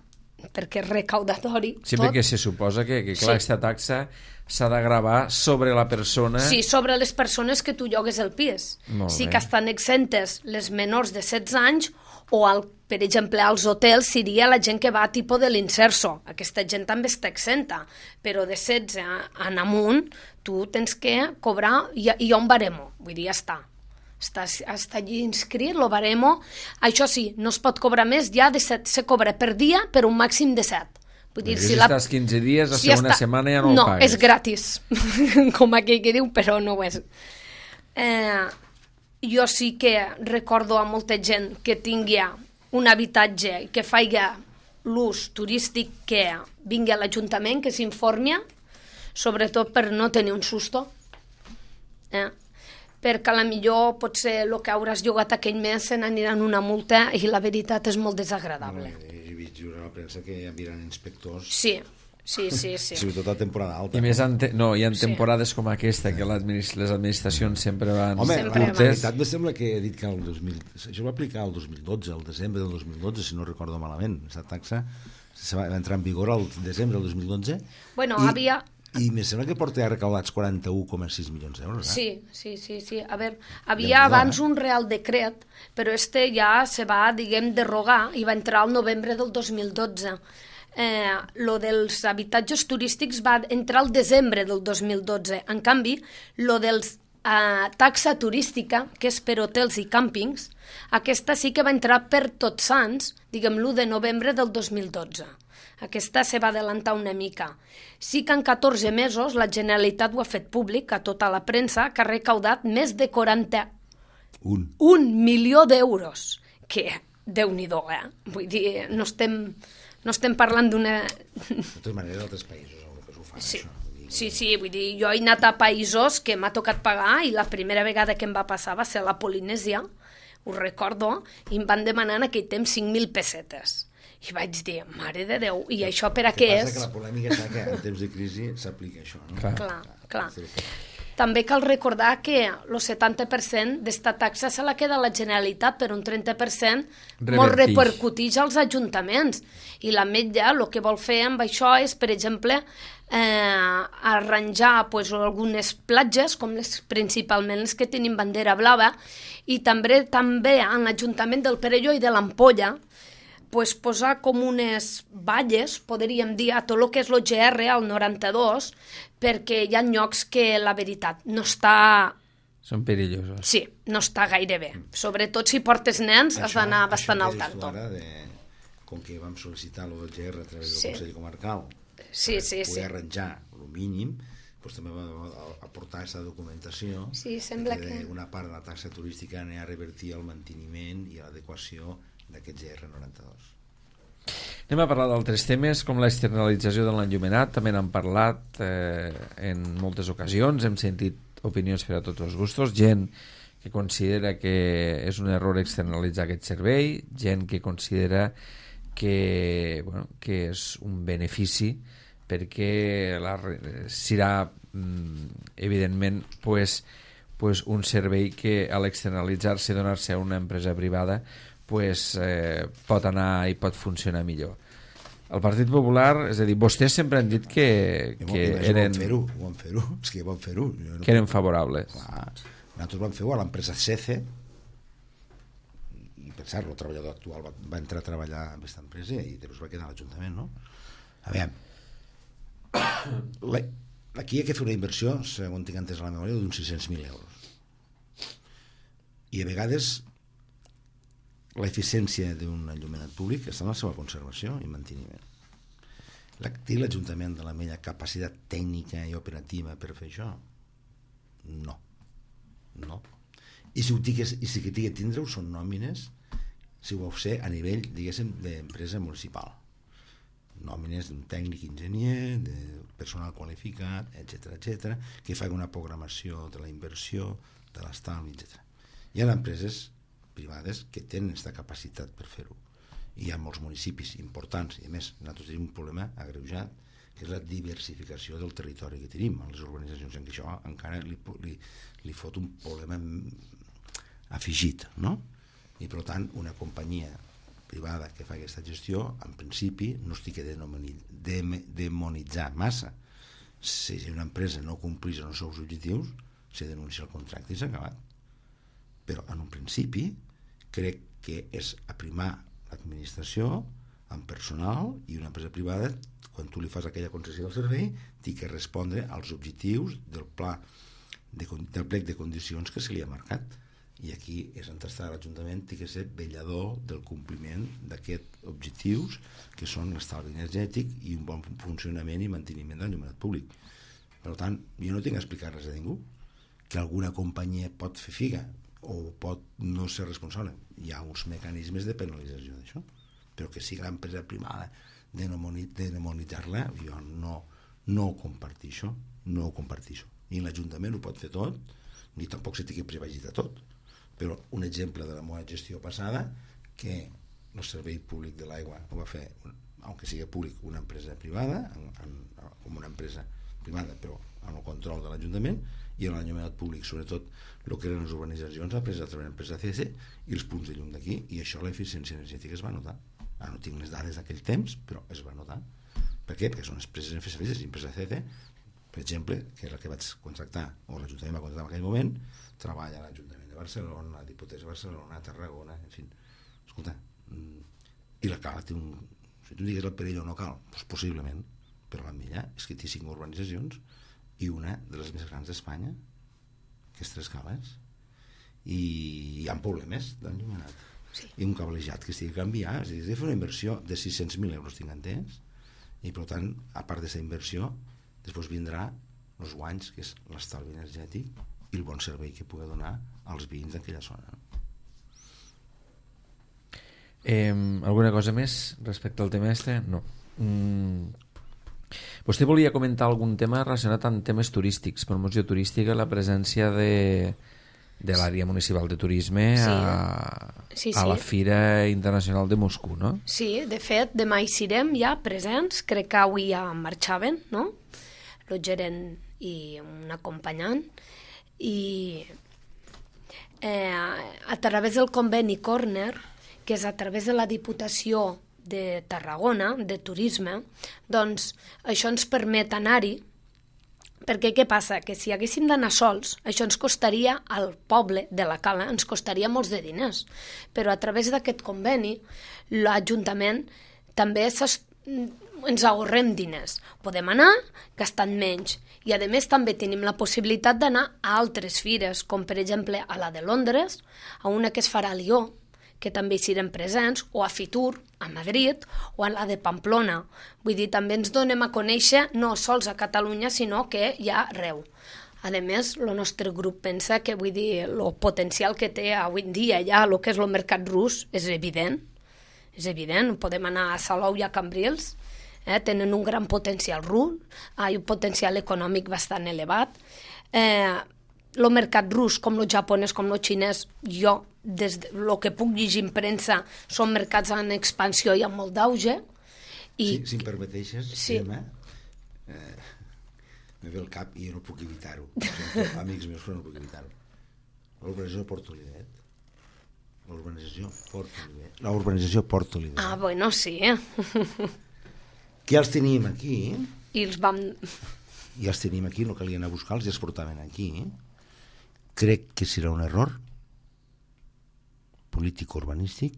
perquè és recaudatori. Sí, perquè se suposa que clar, aquesta taxa s'ha de gravar sobre la persona... Sí, sobre les persones que tu llogues el pis. Sí que estan exentes les menors de 16 anys o, per exemple, als hotels seria la gent que va a tipus de l'Inserso. Aquesta gent també està exenta, però de 16 en amunt tu tens que cobrar, hi ha un baremo, vull dir, ja està. Està allí inscrit, el baremo. Això sí, no es pot cobrar més, ja de 7 se cobra per dia per un màxim de 7. Vull dir, si estàs 15 dies, la segona setmana ja no ho pagues. No, és gratis, com aquell que diu, però no ho és. Jo sí que recordo a molta gent que tingui un habitatge i que faci l'ús turístic, que vingui a l'Ajuntament, que s'informi, sobretot per no tenir un susto. Perquè a la millor potser el que hauràs llogat aquell mes se n'aniran una multa i la veritat és molt desagradable. He vist jurar a la premsa que hi havia inspectors. Sí. Sobretot a temporada alta. I més hi ha temporades com aquesta que les administracions sempre van... Home, la veritat me sembla que he dit que això va aplicar el 2012, el desembre del 2012, si no recordo malament. Aquesta taxa va entrar en vigor el desembre del 2012. Bueno, I me sembla que porta recaudats 41,6 milions d'euros. Sí. A veure, havia abans un Real Decret, però ja se va, derrogar i va entrar al novembre del 2012. Lo dels habitatges turístics va entrar al desembre del 2012. En canvi, lo dels taxa turística, que és per hotels i càmpings, aquesta sí que va entrar per Tots Sants, l'1 de novembre del 2012. Aquesta se va adelantar una mica. Sí que en 14 mesos la Generalitat ho ha fet públic a tota la premsa, que ha recaudat més de 41 milió d'euros. Que, Déu-n'hi-do, Vull dir, no estem parlant d'una... De totes maneres, altres països ho fan, això. Sí, vull dir, jo he anat a països que m'ha tocat pagar i la primera vegada que em va passar va ser a la Polinèsia, ho recordo, i em van demanar en aquell temps 5.000 pessetes. I vaig dir, mare de Déu, i això per a què és? Que la polèmica està que en temps de crisi s'aplica això, no? Clar. També cal recordar que el 70% d'esta taxa se la queda la Generalitat, però un 30% molt repercuteix als ajuntaments. I l'Ametlla el que vol fer amb això és, per exemple, arranjar algunes platges, com principalment les que tenen bandera blava, i també en l'Ajuntament del Perelló i de l'Ampolla, posar com unes valles, podríem dir, a tot el que és l'OGR, al 92, perquè hi ha llocs que la veritat no està... Són perillosos. Sí, no està gaire bé. Sobretot si portes nens has d'anar bastant al tanto. Com que vam sol·licitar l'OGR a través del Consell Comarcal poder arranjar el mínim, també va aportar aquesta documentació que una part de la taxa turística anava a revertir el manteniment i l'adequació d'aquest GR92. Anem a parlar d'altres temes com l'externalització de l'enllumenat. També n'hem parlat en moltes ocasions, hem sentit opinions per a tots els gustos, gent que considera que és un error externalitzar aquest servei, gent que considera que és un benefici perquè serà evidentment un servei que a l'externalitzar-se i donar-se a una empresa privada pot anar i pot funcionar millor. El Partit Popular, és a dir, vostès sempre han dit que eren... Ho van fer-ho. És que van fer-ho. Que eren favorables. Clar. Nosaltres vam fer-ho a l'empresa CECE i pensar, el treballador actual va entrar a treballar en aquesta empresa i després va quedar a l'Ajuntament, no? A veure, aquí hi ha que fer una inversió, segons tinc entès a la memòria, d'uns 600.000 euros. I a vegades l'eficiència d'un enllumenat públic està en la seva conservació i manteniment. Té l'Ajuntament de l'Ametlla capacitat tècnica i operativa per fer això? No. I si que tingui que tindre-ho són nòmines, si ho vau ser a nivell, diguéssim, d'empresa municipal. Nòmines d'un tècnic enginyer, de personal qualificat, etc., que faci una programació de la inversió, de l'estalvi, etc. Hi ha empreses privades que tenen aquesta capacitat per fer-ho. Hi ha molts municipis importants, i a més, nosaltres tenim un problema agreujat, és la diversificació del territori que tenim a les urbanitzacions, en què això encara li fot un problema afegit, no? I per tant una companyia privada que fa aquesta gestió, en principi no estic a demonitzar massa. Si una empresa no complís els seus objectius, se denuncia el contracte i s'ha acabat. Però en un principi crec que és aprimar l'administració amb personal, i una empresa privada, quan tu li fas aquella concessió del servei, té que respondre als objectius del plec de condicions que se li ha marcat. I aquí és on està l'Ajuntament, té que ser vetllador del compliment d'aquests objectius, que són l'estalvi energètic i un bon funcionament i manteniment del l'enllumenat públic. Per tant, jo no tinc a explicar res a ningú. Que alguna companyia pot fer figa o pot no ser responsable. Hi ha uns mecanismes de penalització d'això, però que sigui l'empresa privada demonitzar-la, jo no ho comparteixo, no ho comparteixo. Ni l'Ajuntament ho pot fer tot, ni tampoc se té que privatitzar tot. Però un exemple de la meva gestió passada, que el servei públic de l'aigua ho va fer, aunque sigui públic, una empresa privada, com una empresa privada, però amb el control de l'Ajuntament, i en l'enllumenat públic, sobretot el que eren les urbanitzacions, ha pres a través de l'empresa CC i els punts de llum d'aquí, i això l'eficiència energètica es va notar. Ara no tinc les dades d'aquell temps, però es va notar. Per què? Perquè són empreses FSF, l'empresa CC, per exemple, que és la que vaig contractar, o l'Ajuntament va contractar en aquell moment, treballa a l'Ajuntament de Barcelona, a Diputació de Barcelona, a Tarragona, en fi. Escolta, i la Cala té un... Si tu digues el perill o no cal, doncs possiblement, però la millor és que té 5 urbanitzacions i una de les més grans d'Espanya, que és Tres Cales, i hi ha problemes d'enllumenat. Sí. I un cablejat que estigui canviat, és a dir, de fer una inversió de 600.000 euros, tinc entès, i per tant, a part d'aquesta inversió, després vindrà els guanys, que és l'estalvi energètic i el bon servei que pugui donar als veïns d'aquella zona. Alguna cosa més respecte al tema este? No. Vostè volia comentar algun tema relacionat amb temes turístics, promoció turística, la presència de l'àrea municipal de turisme a la Fira Internacional de Moscou, no? Sí, de fet, demà hi serem ja presents, crec que avui ja marxaven, no? El gerent i un acompanyant, i a través del conveni Corner, que és a través de la Diputació de Tarragona, de turisme, doncs això ens permet anar-hi, perquè què passa? Que si haguéssim d'anar sols, això ens costaria, al poble de la Cala, ens costaria molts de diners, però a través d'aquest conveni l'Ajuntament també ens ahorrem diners. Podem anar gastant menys, i a més també tenim la possibilitat d'anar a altres fires, com per exemple a la de Londres, a una que es farà a Lió, que també hi serem presents, o a Fitur, a Madrid, o a la de Pamplona. Vull dir, també ens donem a conèixer no sols a Catalunya, sinó que hi ha arreu. A més, el nostre grup pensa que, vull dir, el potencial que té avui en dia ja el que és el mercat rus és evident. És evident, podem anar a Salou i a Cambrils, tenen un gran potencial rus, un potencial econòmic bastant elevat. El mercat rus, com el japonès, com el xinès, jo, des del que puc llegir en premsa, són mercats en expansió i amb molt d'auge. Si em permeteixes, Gemma, me ve el cap i jo no puc evitar-ho. Amics meus, però no puc evitar-ho. L'urbanització Port Olivet. L'urbanització Port Olivet. Ah, bueno, sí. Que els teníem aquí. I els vam... I els teníem aquí, no calia anar a buscar-los, i els portaven aquí. Crec que serà un error polític-urbanístic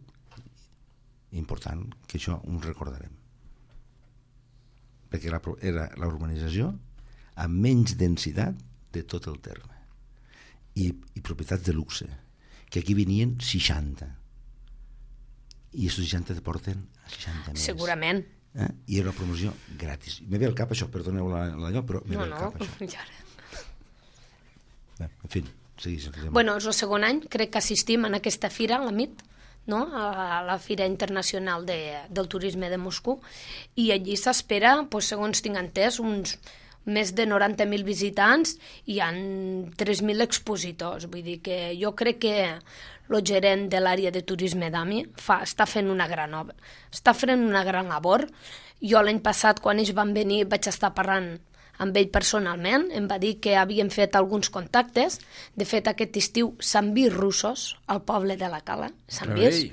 important, que això ho recordarem. Perquè era l'urbanització amb menys densitat de tot el terme. I propietats de luxe, que aquí venien 60. I aquests 60 te porten a 60 més. Segurament. I era una promoció gratis. Me ve al cap això, perdoneu l'allò, però me ve al cap això. En fi, segueix. Bueno, és el segon any, crec que assistim en aquesta fira, a la MIT, no? A la Fira Internacional del Turisme de Moscou, i allí s'espera, segons tinc entès, uns més de 90.000 visitants i hi ha 3.000 expositors. Vull dir que jo crec que el gerent de l'àrea de turisme d'AMI està fent una gran obra, està fent una gran labor. Jo l'any passat, quan ells van venir, vaig estar parlant amb ell personalment, em va dir que havien fet alguns contactes. De fet, aquest estiu s'han vist russos al poble de la Cala. S'han vist.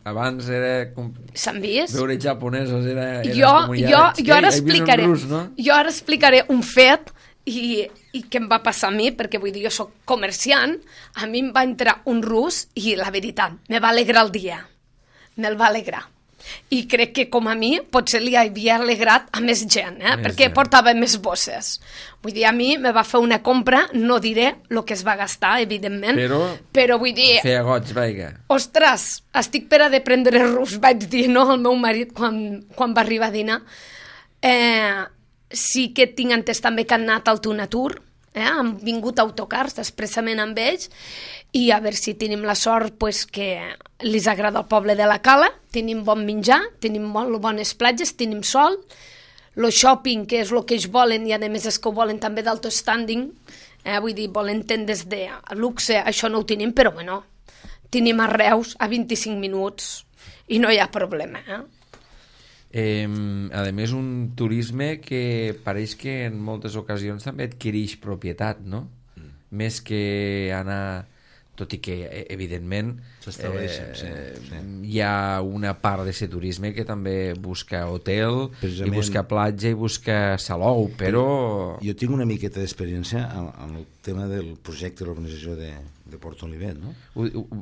Abans era... S'han vist. Veure japonesos era jo ara explicaré. Jo ara explicaré un fet i què em va passar a mi, perquè vull dir, jo soc comerciant, a mi em va entrar un rus i la veritat, me va alegrar el dia. Me'l va alegrar. I crec que com a mi potser li havia alegrat a més gent, perquè portava més bosses. Vull dir, a mi me va fer una compra, no diré el que es va gastar, evidentment, però vull dir... Feia goig, vaiga. Ostres, estic per a de prendre rus, vaig dir, no?, al meu marit quan va arribar a dinar. Sí que tinc entès també que han anat al Tunatur, han vingut autocars expressament amb ells, i a veure si tenim la sort que els agrada el poble de la Cala, tenim bon menjar, tenim molt bones platges, tenim sol, el shopping, que és el que ells volen, i a més és que ho volen també d'alto standing, vull dir, volen tendes de luxe, això no ho tenim, però bueno, tenim a Reus a 25 minuts i no hi ha problema. A més, un turisme que pareix que en moltes ocasions també adquireix propietat, no? Més que anar... Tot i que, evidentment, hi ha una part d'aquest turisme que també busca hotel, i busca platja, i busca salou, però... Jo tinc una miqueta d'experiència en el tema del projecte de l'organització de Port Olivet, no?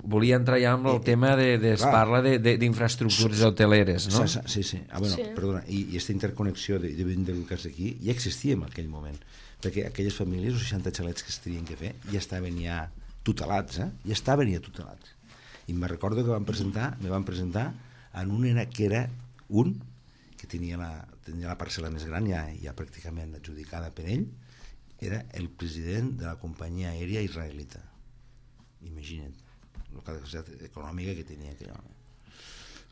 Volia entrar ja amb el tema es parla d'infraestructures hoteleres, no? Sí. Perdona, i aquesta interconnexió de del cas aquí ja existia en aquell moment, perquè aquelles famílies, els 60 xalets que es tenien que fer, ja estaven ja tutelats, ja estaven ja tutelats. I me recordo que me van presentar en un que era un que tenia la parcel·la més gran, ja pràcticament adjudicada per ell, era el president de la companyia aèria israelita. Imagina't la capacitat econòmica que tenia aquell home.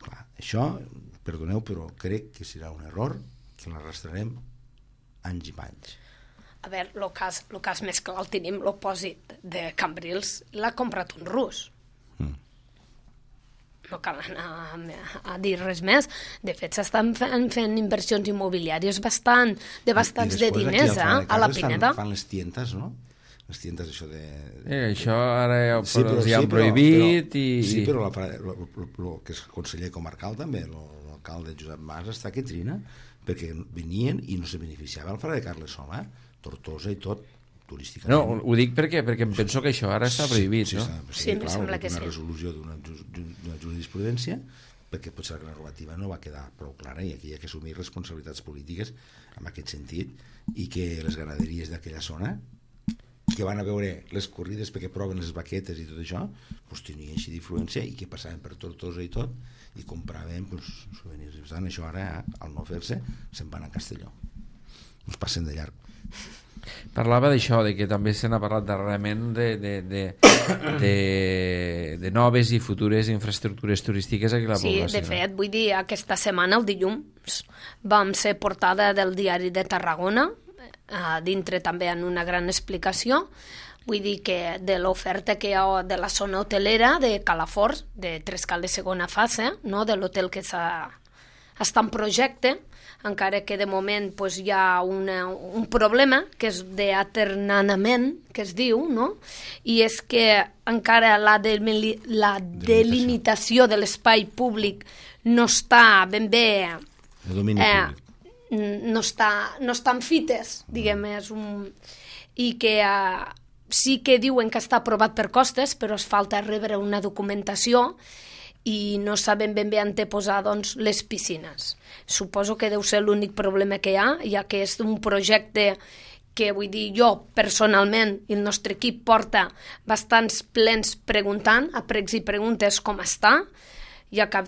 Clar, això, perdoneu, però crec que serà un error que l'arrastrarem anys i panys. A veure, el cas més clar el tenim, l'opòsit de Cambrils l'ha comprat un rus. No cal anar a dir res més. De fet, s'estan fent inversions immobiliàries de bastants de diners a la Pineda. Fan les tientes, no? Les tientes, això de... Això ara ja han prohibit i... Sí, però el que és conseller comarcal també, l'alcalde Josep Mas està que trina, perquè venien i no se beneficiava el Fara de Carles Somà, Tortosa i tot, turísticament. No, ho dic perquè em penso que això ara està prohibit, no? Sí, em sembla que sí. Una resolució d'una jurisprudència, perquè potser la normativa no va quedar prou clara i aquí hi ha que assumir responsabilitats polítiques en aquest sentit, i que les ganaderies d'aquella zona, que van a veure les corrides perquè proven les vaquetes i tot això, doncs tenien així d'influència i que passaven per Tortosa i tot i compraven souvenirs. Per tant, això ara, al no fer-se, se'n van a Castelló. Ens passen de llarg. Parlava d'això, de que també se n'ha parlat darrerament de noves i futures infraestructures turístiques aquí a la població. Sí, de fet, vull dir, aquesta setmana, el dilluns, vam ser portada del Diari de Tarragona, dintre també en una gran explicació, vull dir que de l'oferta que hi ha de la zona hotelera de Calafors, de Trescal de segona fase, no? De l'hotel que està en projecte, encara que de moment hi ha un problema que és d'aternanament, que es diu, no? I és que encara la delimitació de l'espai públic no està ben bé... El domini públic. No estan fites, diguem, i que sí que diuen que està aprovat per costes, però es falta rebre una documentació i no saben ben bé anteposar les piscines. Suposo que deu ser l'únic problema que hi ha, ja que és un projecte que, vull dir, jo personalment i el nostre equip porta bastants plens preguntant, a pregs i preguntes com està, ja que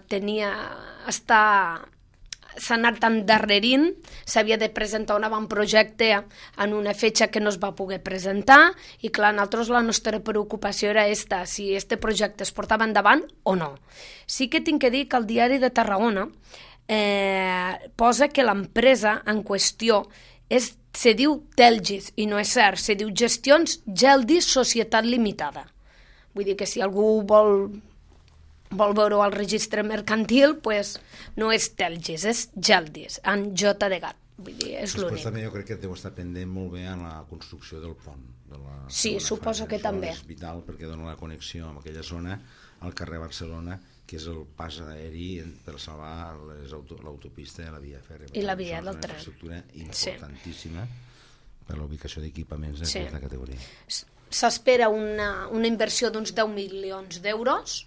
s'ha anat endarrerint, s'havia de presentar un avantprojecte en una fetge que no es va poder presentar i clar, nosaltres la nostra preocupació era si este projecte es portava endavant o no. Sí que tinc que dir que el Diari de Tarragona posa que l'empresa en qüestió se diu Telgis, i no és cert, se diu Gestions Geldis Societat Limitada. Vull dir que si algú vol veure al registre mercantil, pues no és Telgis, és Geldis, amb J de gat. Vull dir, és l'únic. Després també jo crec que deu estar pendent molt bé en la construcció del pont. Sí, suposo que també. És vital perquè dona la connexió amb aquella zona al carrer Barcelona, que és el pas aeri per salvar l'autopista i la via fèrria. I la via del tren. És una infraestructura importantíssima per la ubicació d'equipaments d'aquesta categoria. S'espera una inversió d'uns 10 milions d'euros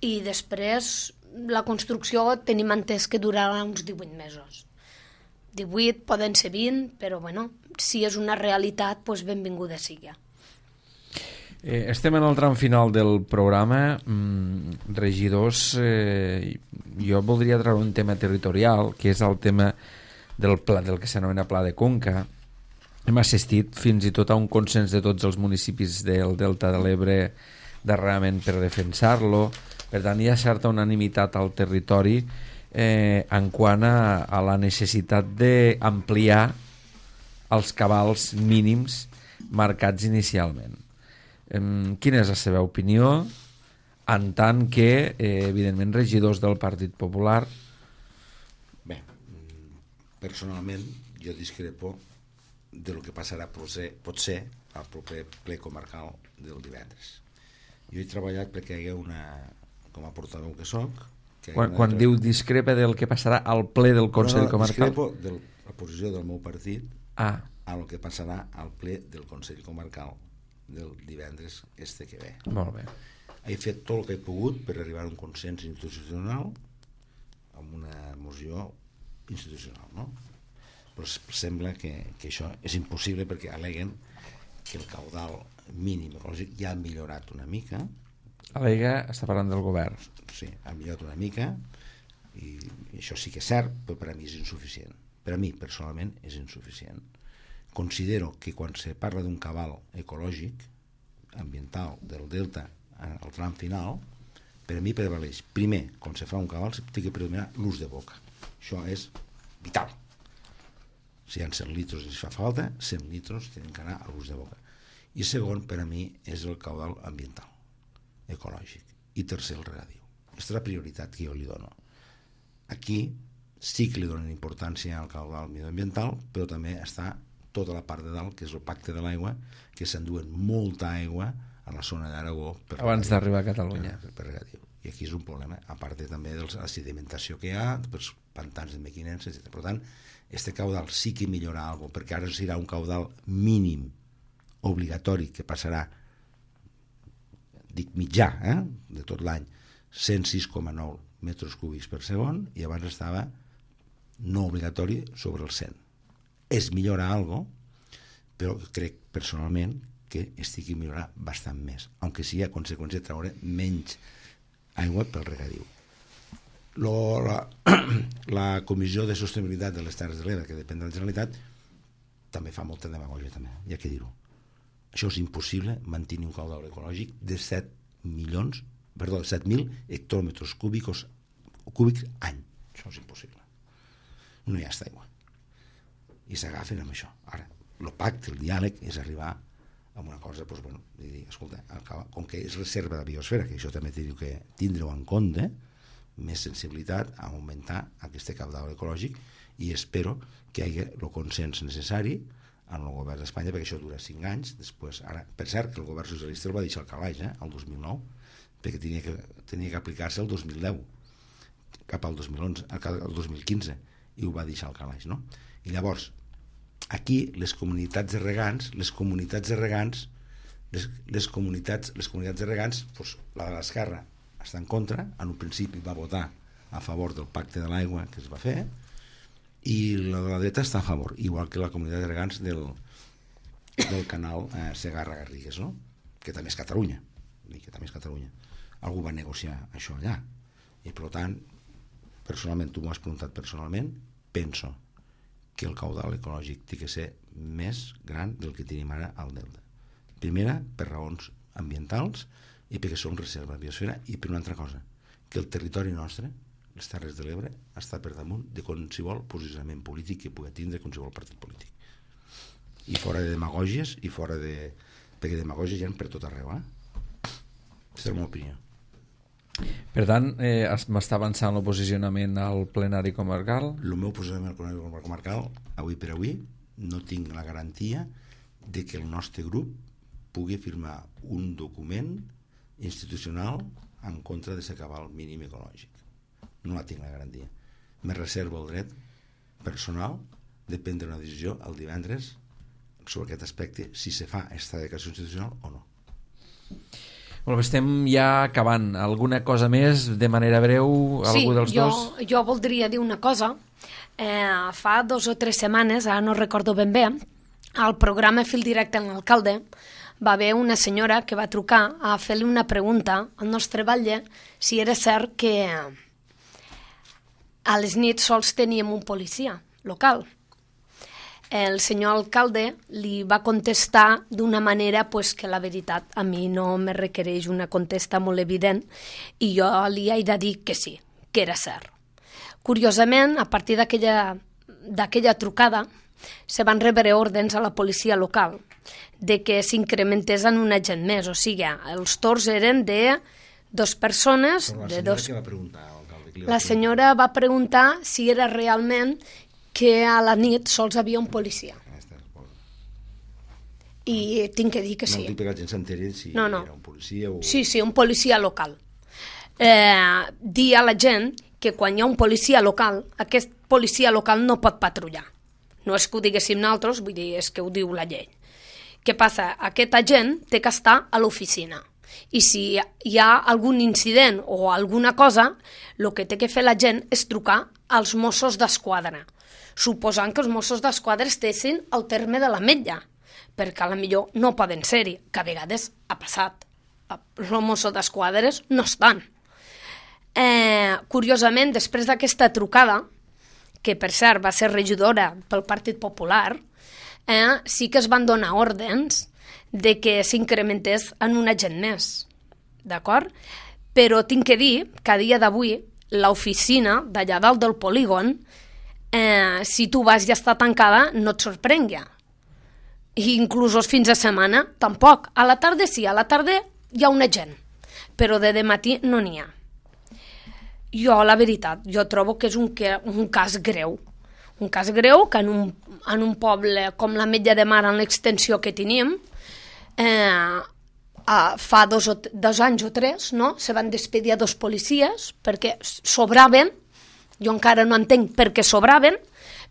i després la construcció tenim entès que durarà uns 18 mesos. 18, poden ser 20, però bueno, si és una realitat, doncs benvinguda sigui. Estem en el tram final del programa. Regidors, jo voldria treure un tema territorial, que és el tema del que s'anomena Pla de Conca. Hem assistit fins i tot a un consens de tots els municipis del Delta de l'Ebre darrerament per defensar-lo. Per tant, hi ha certa unanimitat al territori en quant a la necessitat d'ampliar els cabals mínims marcats inicialment. Quina és la seva opinió en tant que, evidentment, regidors del Partit Popular? Bé, personalment jo discrepo del que passarà potser al proper ple comarcal del divendres. Jo he treballat perquè hi ha com a portaveu que soc. Quan diu discrepa del que passarà al ple del Consell Comarcal? Discrepo de la posició del meu partit a el que passarà al ple del Consell Comarcal del divendres que ve. Molt bé. He fet tot el que he pogut per arribar a un consens institucional amb una moció institucional, no? Però sembla que això és impossible perquè al·leguen que el caudal mínim ecològic ja ha millorat una mica. Al·lega, està parlant del govern. Sí, ha millorat una mica i això sí que és cert, però per a mi és insuficient. Per a mi, personalment, és insuficient. Considero que quan se parla d'un cabal ecològic, ambiental, del delta, al tram final, per a mi prevaleix. Primer, quan se fa un cabal, s'ha de predominar l'ús de boca. Això és vital. Si hi ha 100 litres i fa falta, 100 litres tenen que anar a l'ús de boca. I segon, per a mi, és el caudal ambiental, ecològic. I tercer, el regadiu. Aquesta és la prioritat que jo li dono. Aquí sí que li donen importància al caudal medioambiental, però també està tota la part de dalt, que és el pacte de l'aigua, que s'enduen molta aigua a la zona d'Aragó abans d'arribar a Catalunya per regadiu. I aquí és un problema, a part també de la sedimentació que hi ha, pels pantans de Mequinense, etc. Per tant, este caudal sí que millora alguna cosa, perquè ara serà un caudal mínim obligatori que passarà, dic mitjà, de tot l'any, 106,9 metres cúbics per segon, i abans estava no obligatori sobre el 100. Es millora algo, però crec personalment que estigui millorar bastant més, aunque sigui a conseqüència de treure menys aigua pel regadiu. La Comissió de Sostenibilitat de les Terres de l'Ebre, que depèn de la Generalitat, també fa molta demagògia, també, hi ha que dir-ho. Això és impossible, mantenir un caudal ecològic de 7.000 hectòmetres cúbics any. Això és impossible. No hi ha aigua. I s'agafen amb això. Ara, el pacte, el diàleg, és arribar a una cosa, doncs, bueno, dir, escolta, com que és reserva de biosfera, que això també teniu que tindre-ho en compte, més sensibilitat a augmentar aquest caudal ecològic, i espero que hi hagi el consens necessari en el govern d'Espanya, perquè això dura 5 anys. Després, ara, per cert, que el govern socialista el va deixar al calaix, el 2009, perquè tenia que aplicar-se el 2010, cap al 2011, al 2015, i ho va deixar al calaix, no? I llavors, aquí les comunitats de regants, doncs, la de l'Esquerra està en contra, en un principi va votar a favor del pacte de l'aigua que es va fer, i la de la dreta està a favor, igual que la comunitat de regants del canal Segarra-Garrigues, no? Que també és Catalunya. Algú va negociar això allà, i per tant, personalment, tu m'ho has preguntat personalment, penso que el caudal ecològic té que ser més gran del que tenim ara al delta. Primera, per raons ambientals, i perquè som reserva de biosfera, i per una altra cosa, que el territori nostre les Terres de l'Ebre està per damunt de qualsevol posicionament polític que pugui tindre qualsevol partit polític. I fora de demagògies, i fora de... perquè demagògies hi ha per tot arreu, Aquesta és la meva opinió. Per tant, m'està avançant el posicionament al plenari comarcal? El meu posicionament al plenari comarcal, avui per avui, no tinc la garantia de que el nostre grup pugui firmar un document institucional en contra de s'acabar el mínim ecològic. No la tinc la garantia. Me reservo el dret personal de prendre una decisió el divendres sobre aquest aspecte, si se fa aquesta declaració institucional o no. Molt bé, estem ja acabant. Alguna cosa més de manera breu? Algú dels dos? Jo voldria dir una cosa. Fa 2 o 3 setmanes, ara no recordo ben bé, al programa Fil Directe amb l'alcalde va haver una senyora que va trucar a fer-li una pregunta al nostre batlle si era cert que a les nits sols teníem un policia local. El senyor alcalde li va contestar d'una manera pues, que la veritat a mi no me requereix una contesta molt evident i jo li he de dir que sí, que era cert. Curiosament, a partir d'aquella trucada se van rebre ordens a la policia local de que s'incrementés en un agent més, o sigui, els torns eren de 2 persones... Però la senyora què va preguntar, alcalde? La senyora va preguntar si era realment que a la nit sols havia un policia. I tinc que dir que sí. No dic que la gent s'enteri si era un policia o... Sí, un policia local. Dir a la gent que quan hi ha un policia local, aquest policia local no pot patrullar. No és que ho diguéssim nosaltres, vull dir, és que ho diu la llei. Què passa? Aquest agent té que estar a l'oficina. I si hi ha algun incident o alguna cosa, el que té que fer la gent és trucar als Mossos d'Esquadra, suposant que els Mossos d'Esquadra estessin al terme de l'Ametlla, perquè a la millor no poden ser-hi, que a vegades ha passat. Els Mossos d'Esquadra no estan. Curiosament, després d'aquesta trucada, que per cert va ser regidora pel Partit Popular, sí que es van donar ordens de que s'incrementés en un agent més, d'acord? Però tinc que dir que a dia d'avui l'oficina d'allà dalt del polígon, si tu vas i està tancada, no et sorprengui. I inclús els fins de setmana, tampoc. A la tarda sí, a la tarda hi ha un agent, però de matí no n'hi ha. Jo, la veritat, jo trobo que és un cas greu. Un cas greu que en un poble com l'Ametlla de Mar, en l'extensió que tenim, fa 2 anys o 3, no? Se van despedir a 2 policies perquè sobraven. Jo encara no entenc per què sobraven,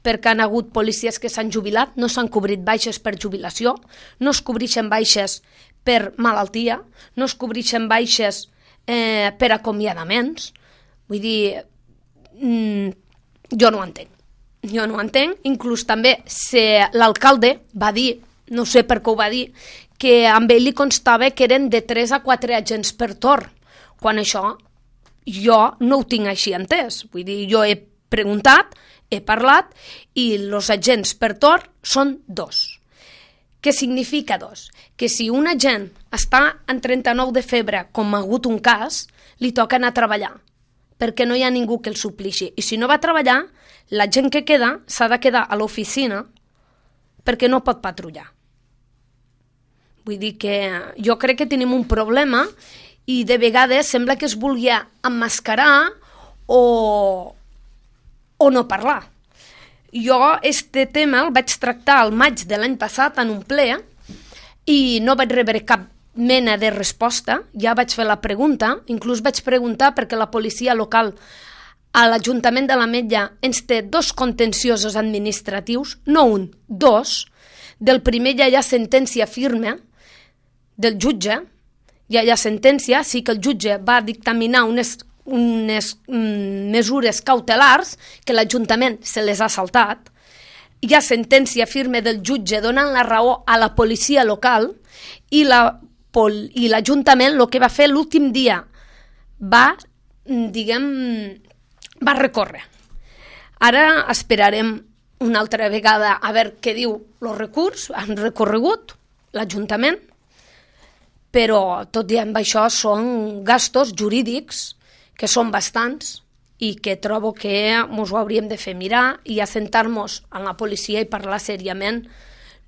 perquè han hagut policies que s'han jubilat, no s'han cobrit baixes per jubilació, no es cobreixen baixes per malaltia, no es cobreixen baixes per acomiadaments. Vull dir, jo no ho entenc. Jo no ho entenc. Inclús també l'alcalde va dir, no sé per què ho va dir, que amb ell li constava que eren de 3 a 4 agents per torn, quan això jo no ho tinc així entès. Vull dir, jo he preguntat, he parlat, i els agents per torn són 2. Què significa 2? Que si un agent està en 39 de febre, com ha hagut un cas, li toca anar a treballar, perquè no hi ha ningú que el suplixi. I si no va a treballar, la gent que queda s'ha de quedar a l'oficina perquè no pot patrullar. Vull dir que jo crec que tenim un problema i de vegades sembla que es vulgui emmascarar o no parlar. Jo este tema el vaig tractar al maig de l'any passat en un ple i no vaig rebre cap mena de resposta. Ja vaig fer la pregunta, inclús vaig preguntar perquè la policia local a l'Ajuntament de l'Ametlla ens té 2 contenciosos administratius, no 1, 2. Del primer ja hi ha sentència firme del jutge, ja hi ha sentència, sí que el jutge va dictaminar unes mesures cautelars que l'Ajuntament se les ha saltat. Hi ha sentència firme del jutge donant la raó a la policia local i l'Ajuntament el que va fer l'últim dia va recórrer. Ara esperarem una altra vegada a veure què diu el recurs. Han recorregut l'Ajuntament, però tot i amb això són gastos jurídics que són bastants i que trobo que ens ho hauríem de fer mirar i assentar-nos en la policia i parlar seriament,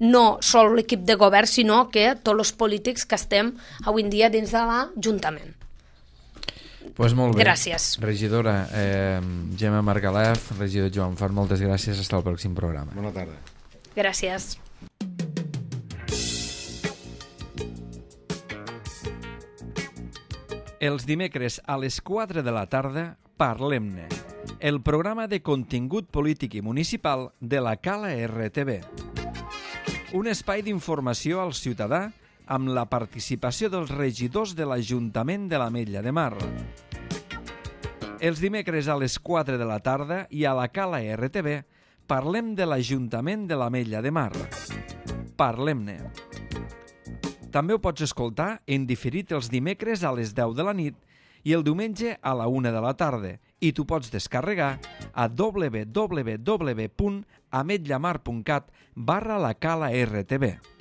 no sol l'equip de govern, sinó que tots els polítics que estem avui en dia dins de l'Ajuntament. Pues molt bé. Gràcies. Regidora Gemma Margalef, regidor Joan Fart, moltes gràcies. Fins al pròxim programa. Bona tarda. Gràcies. Els dimecres a les 4 de la tarda, Parlem-ne, el programa de contingut polític i municipal de la Cala RTV. Un espai d'informació al ciutadà amb la participació dels regidors de l'Ajuntament de l'Ametlla de Mar. Els dimecres a les 4 de la tarda i a la Cala RTV parlem de l'Ajuntament de l'Ametlla de Mar. Parlem-ne. També ho pots escoltar en diferit els dimecres a les 10 de la nit i el diumenge a la 1 de la tarda i t'ho pots descarregar a www.ametllamar.cat/la Cala RTV.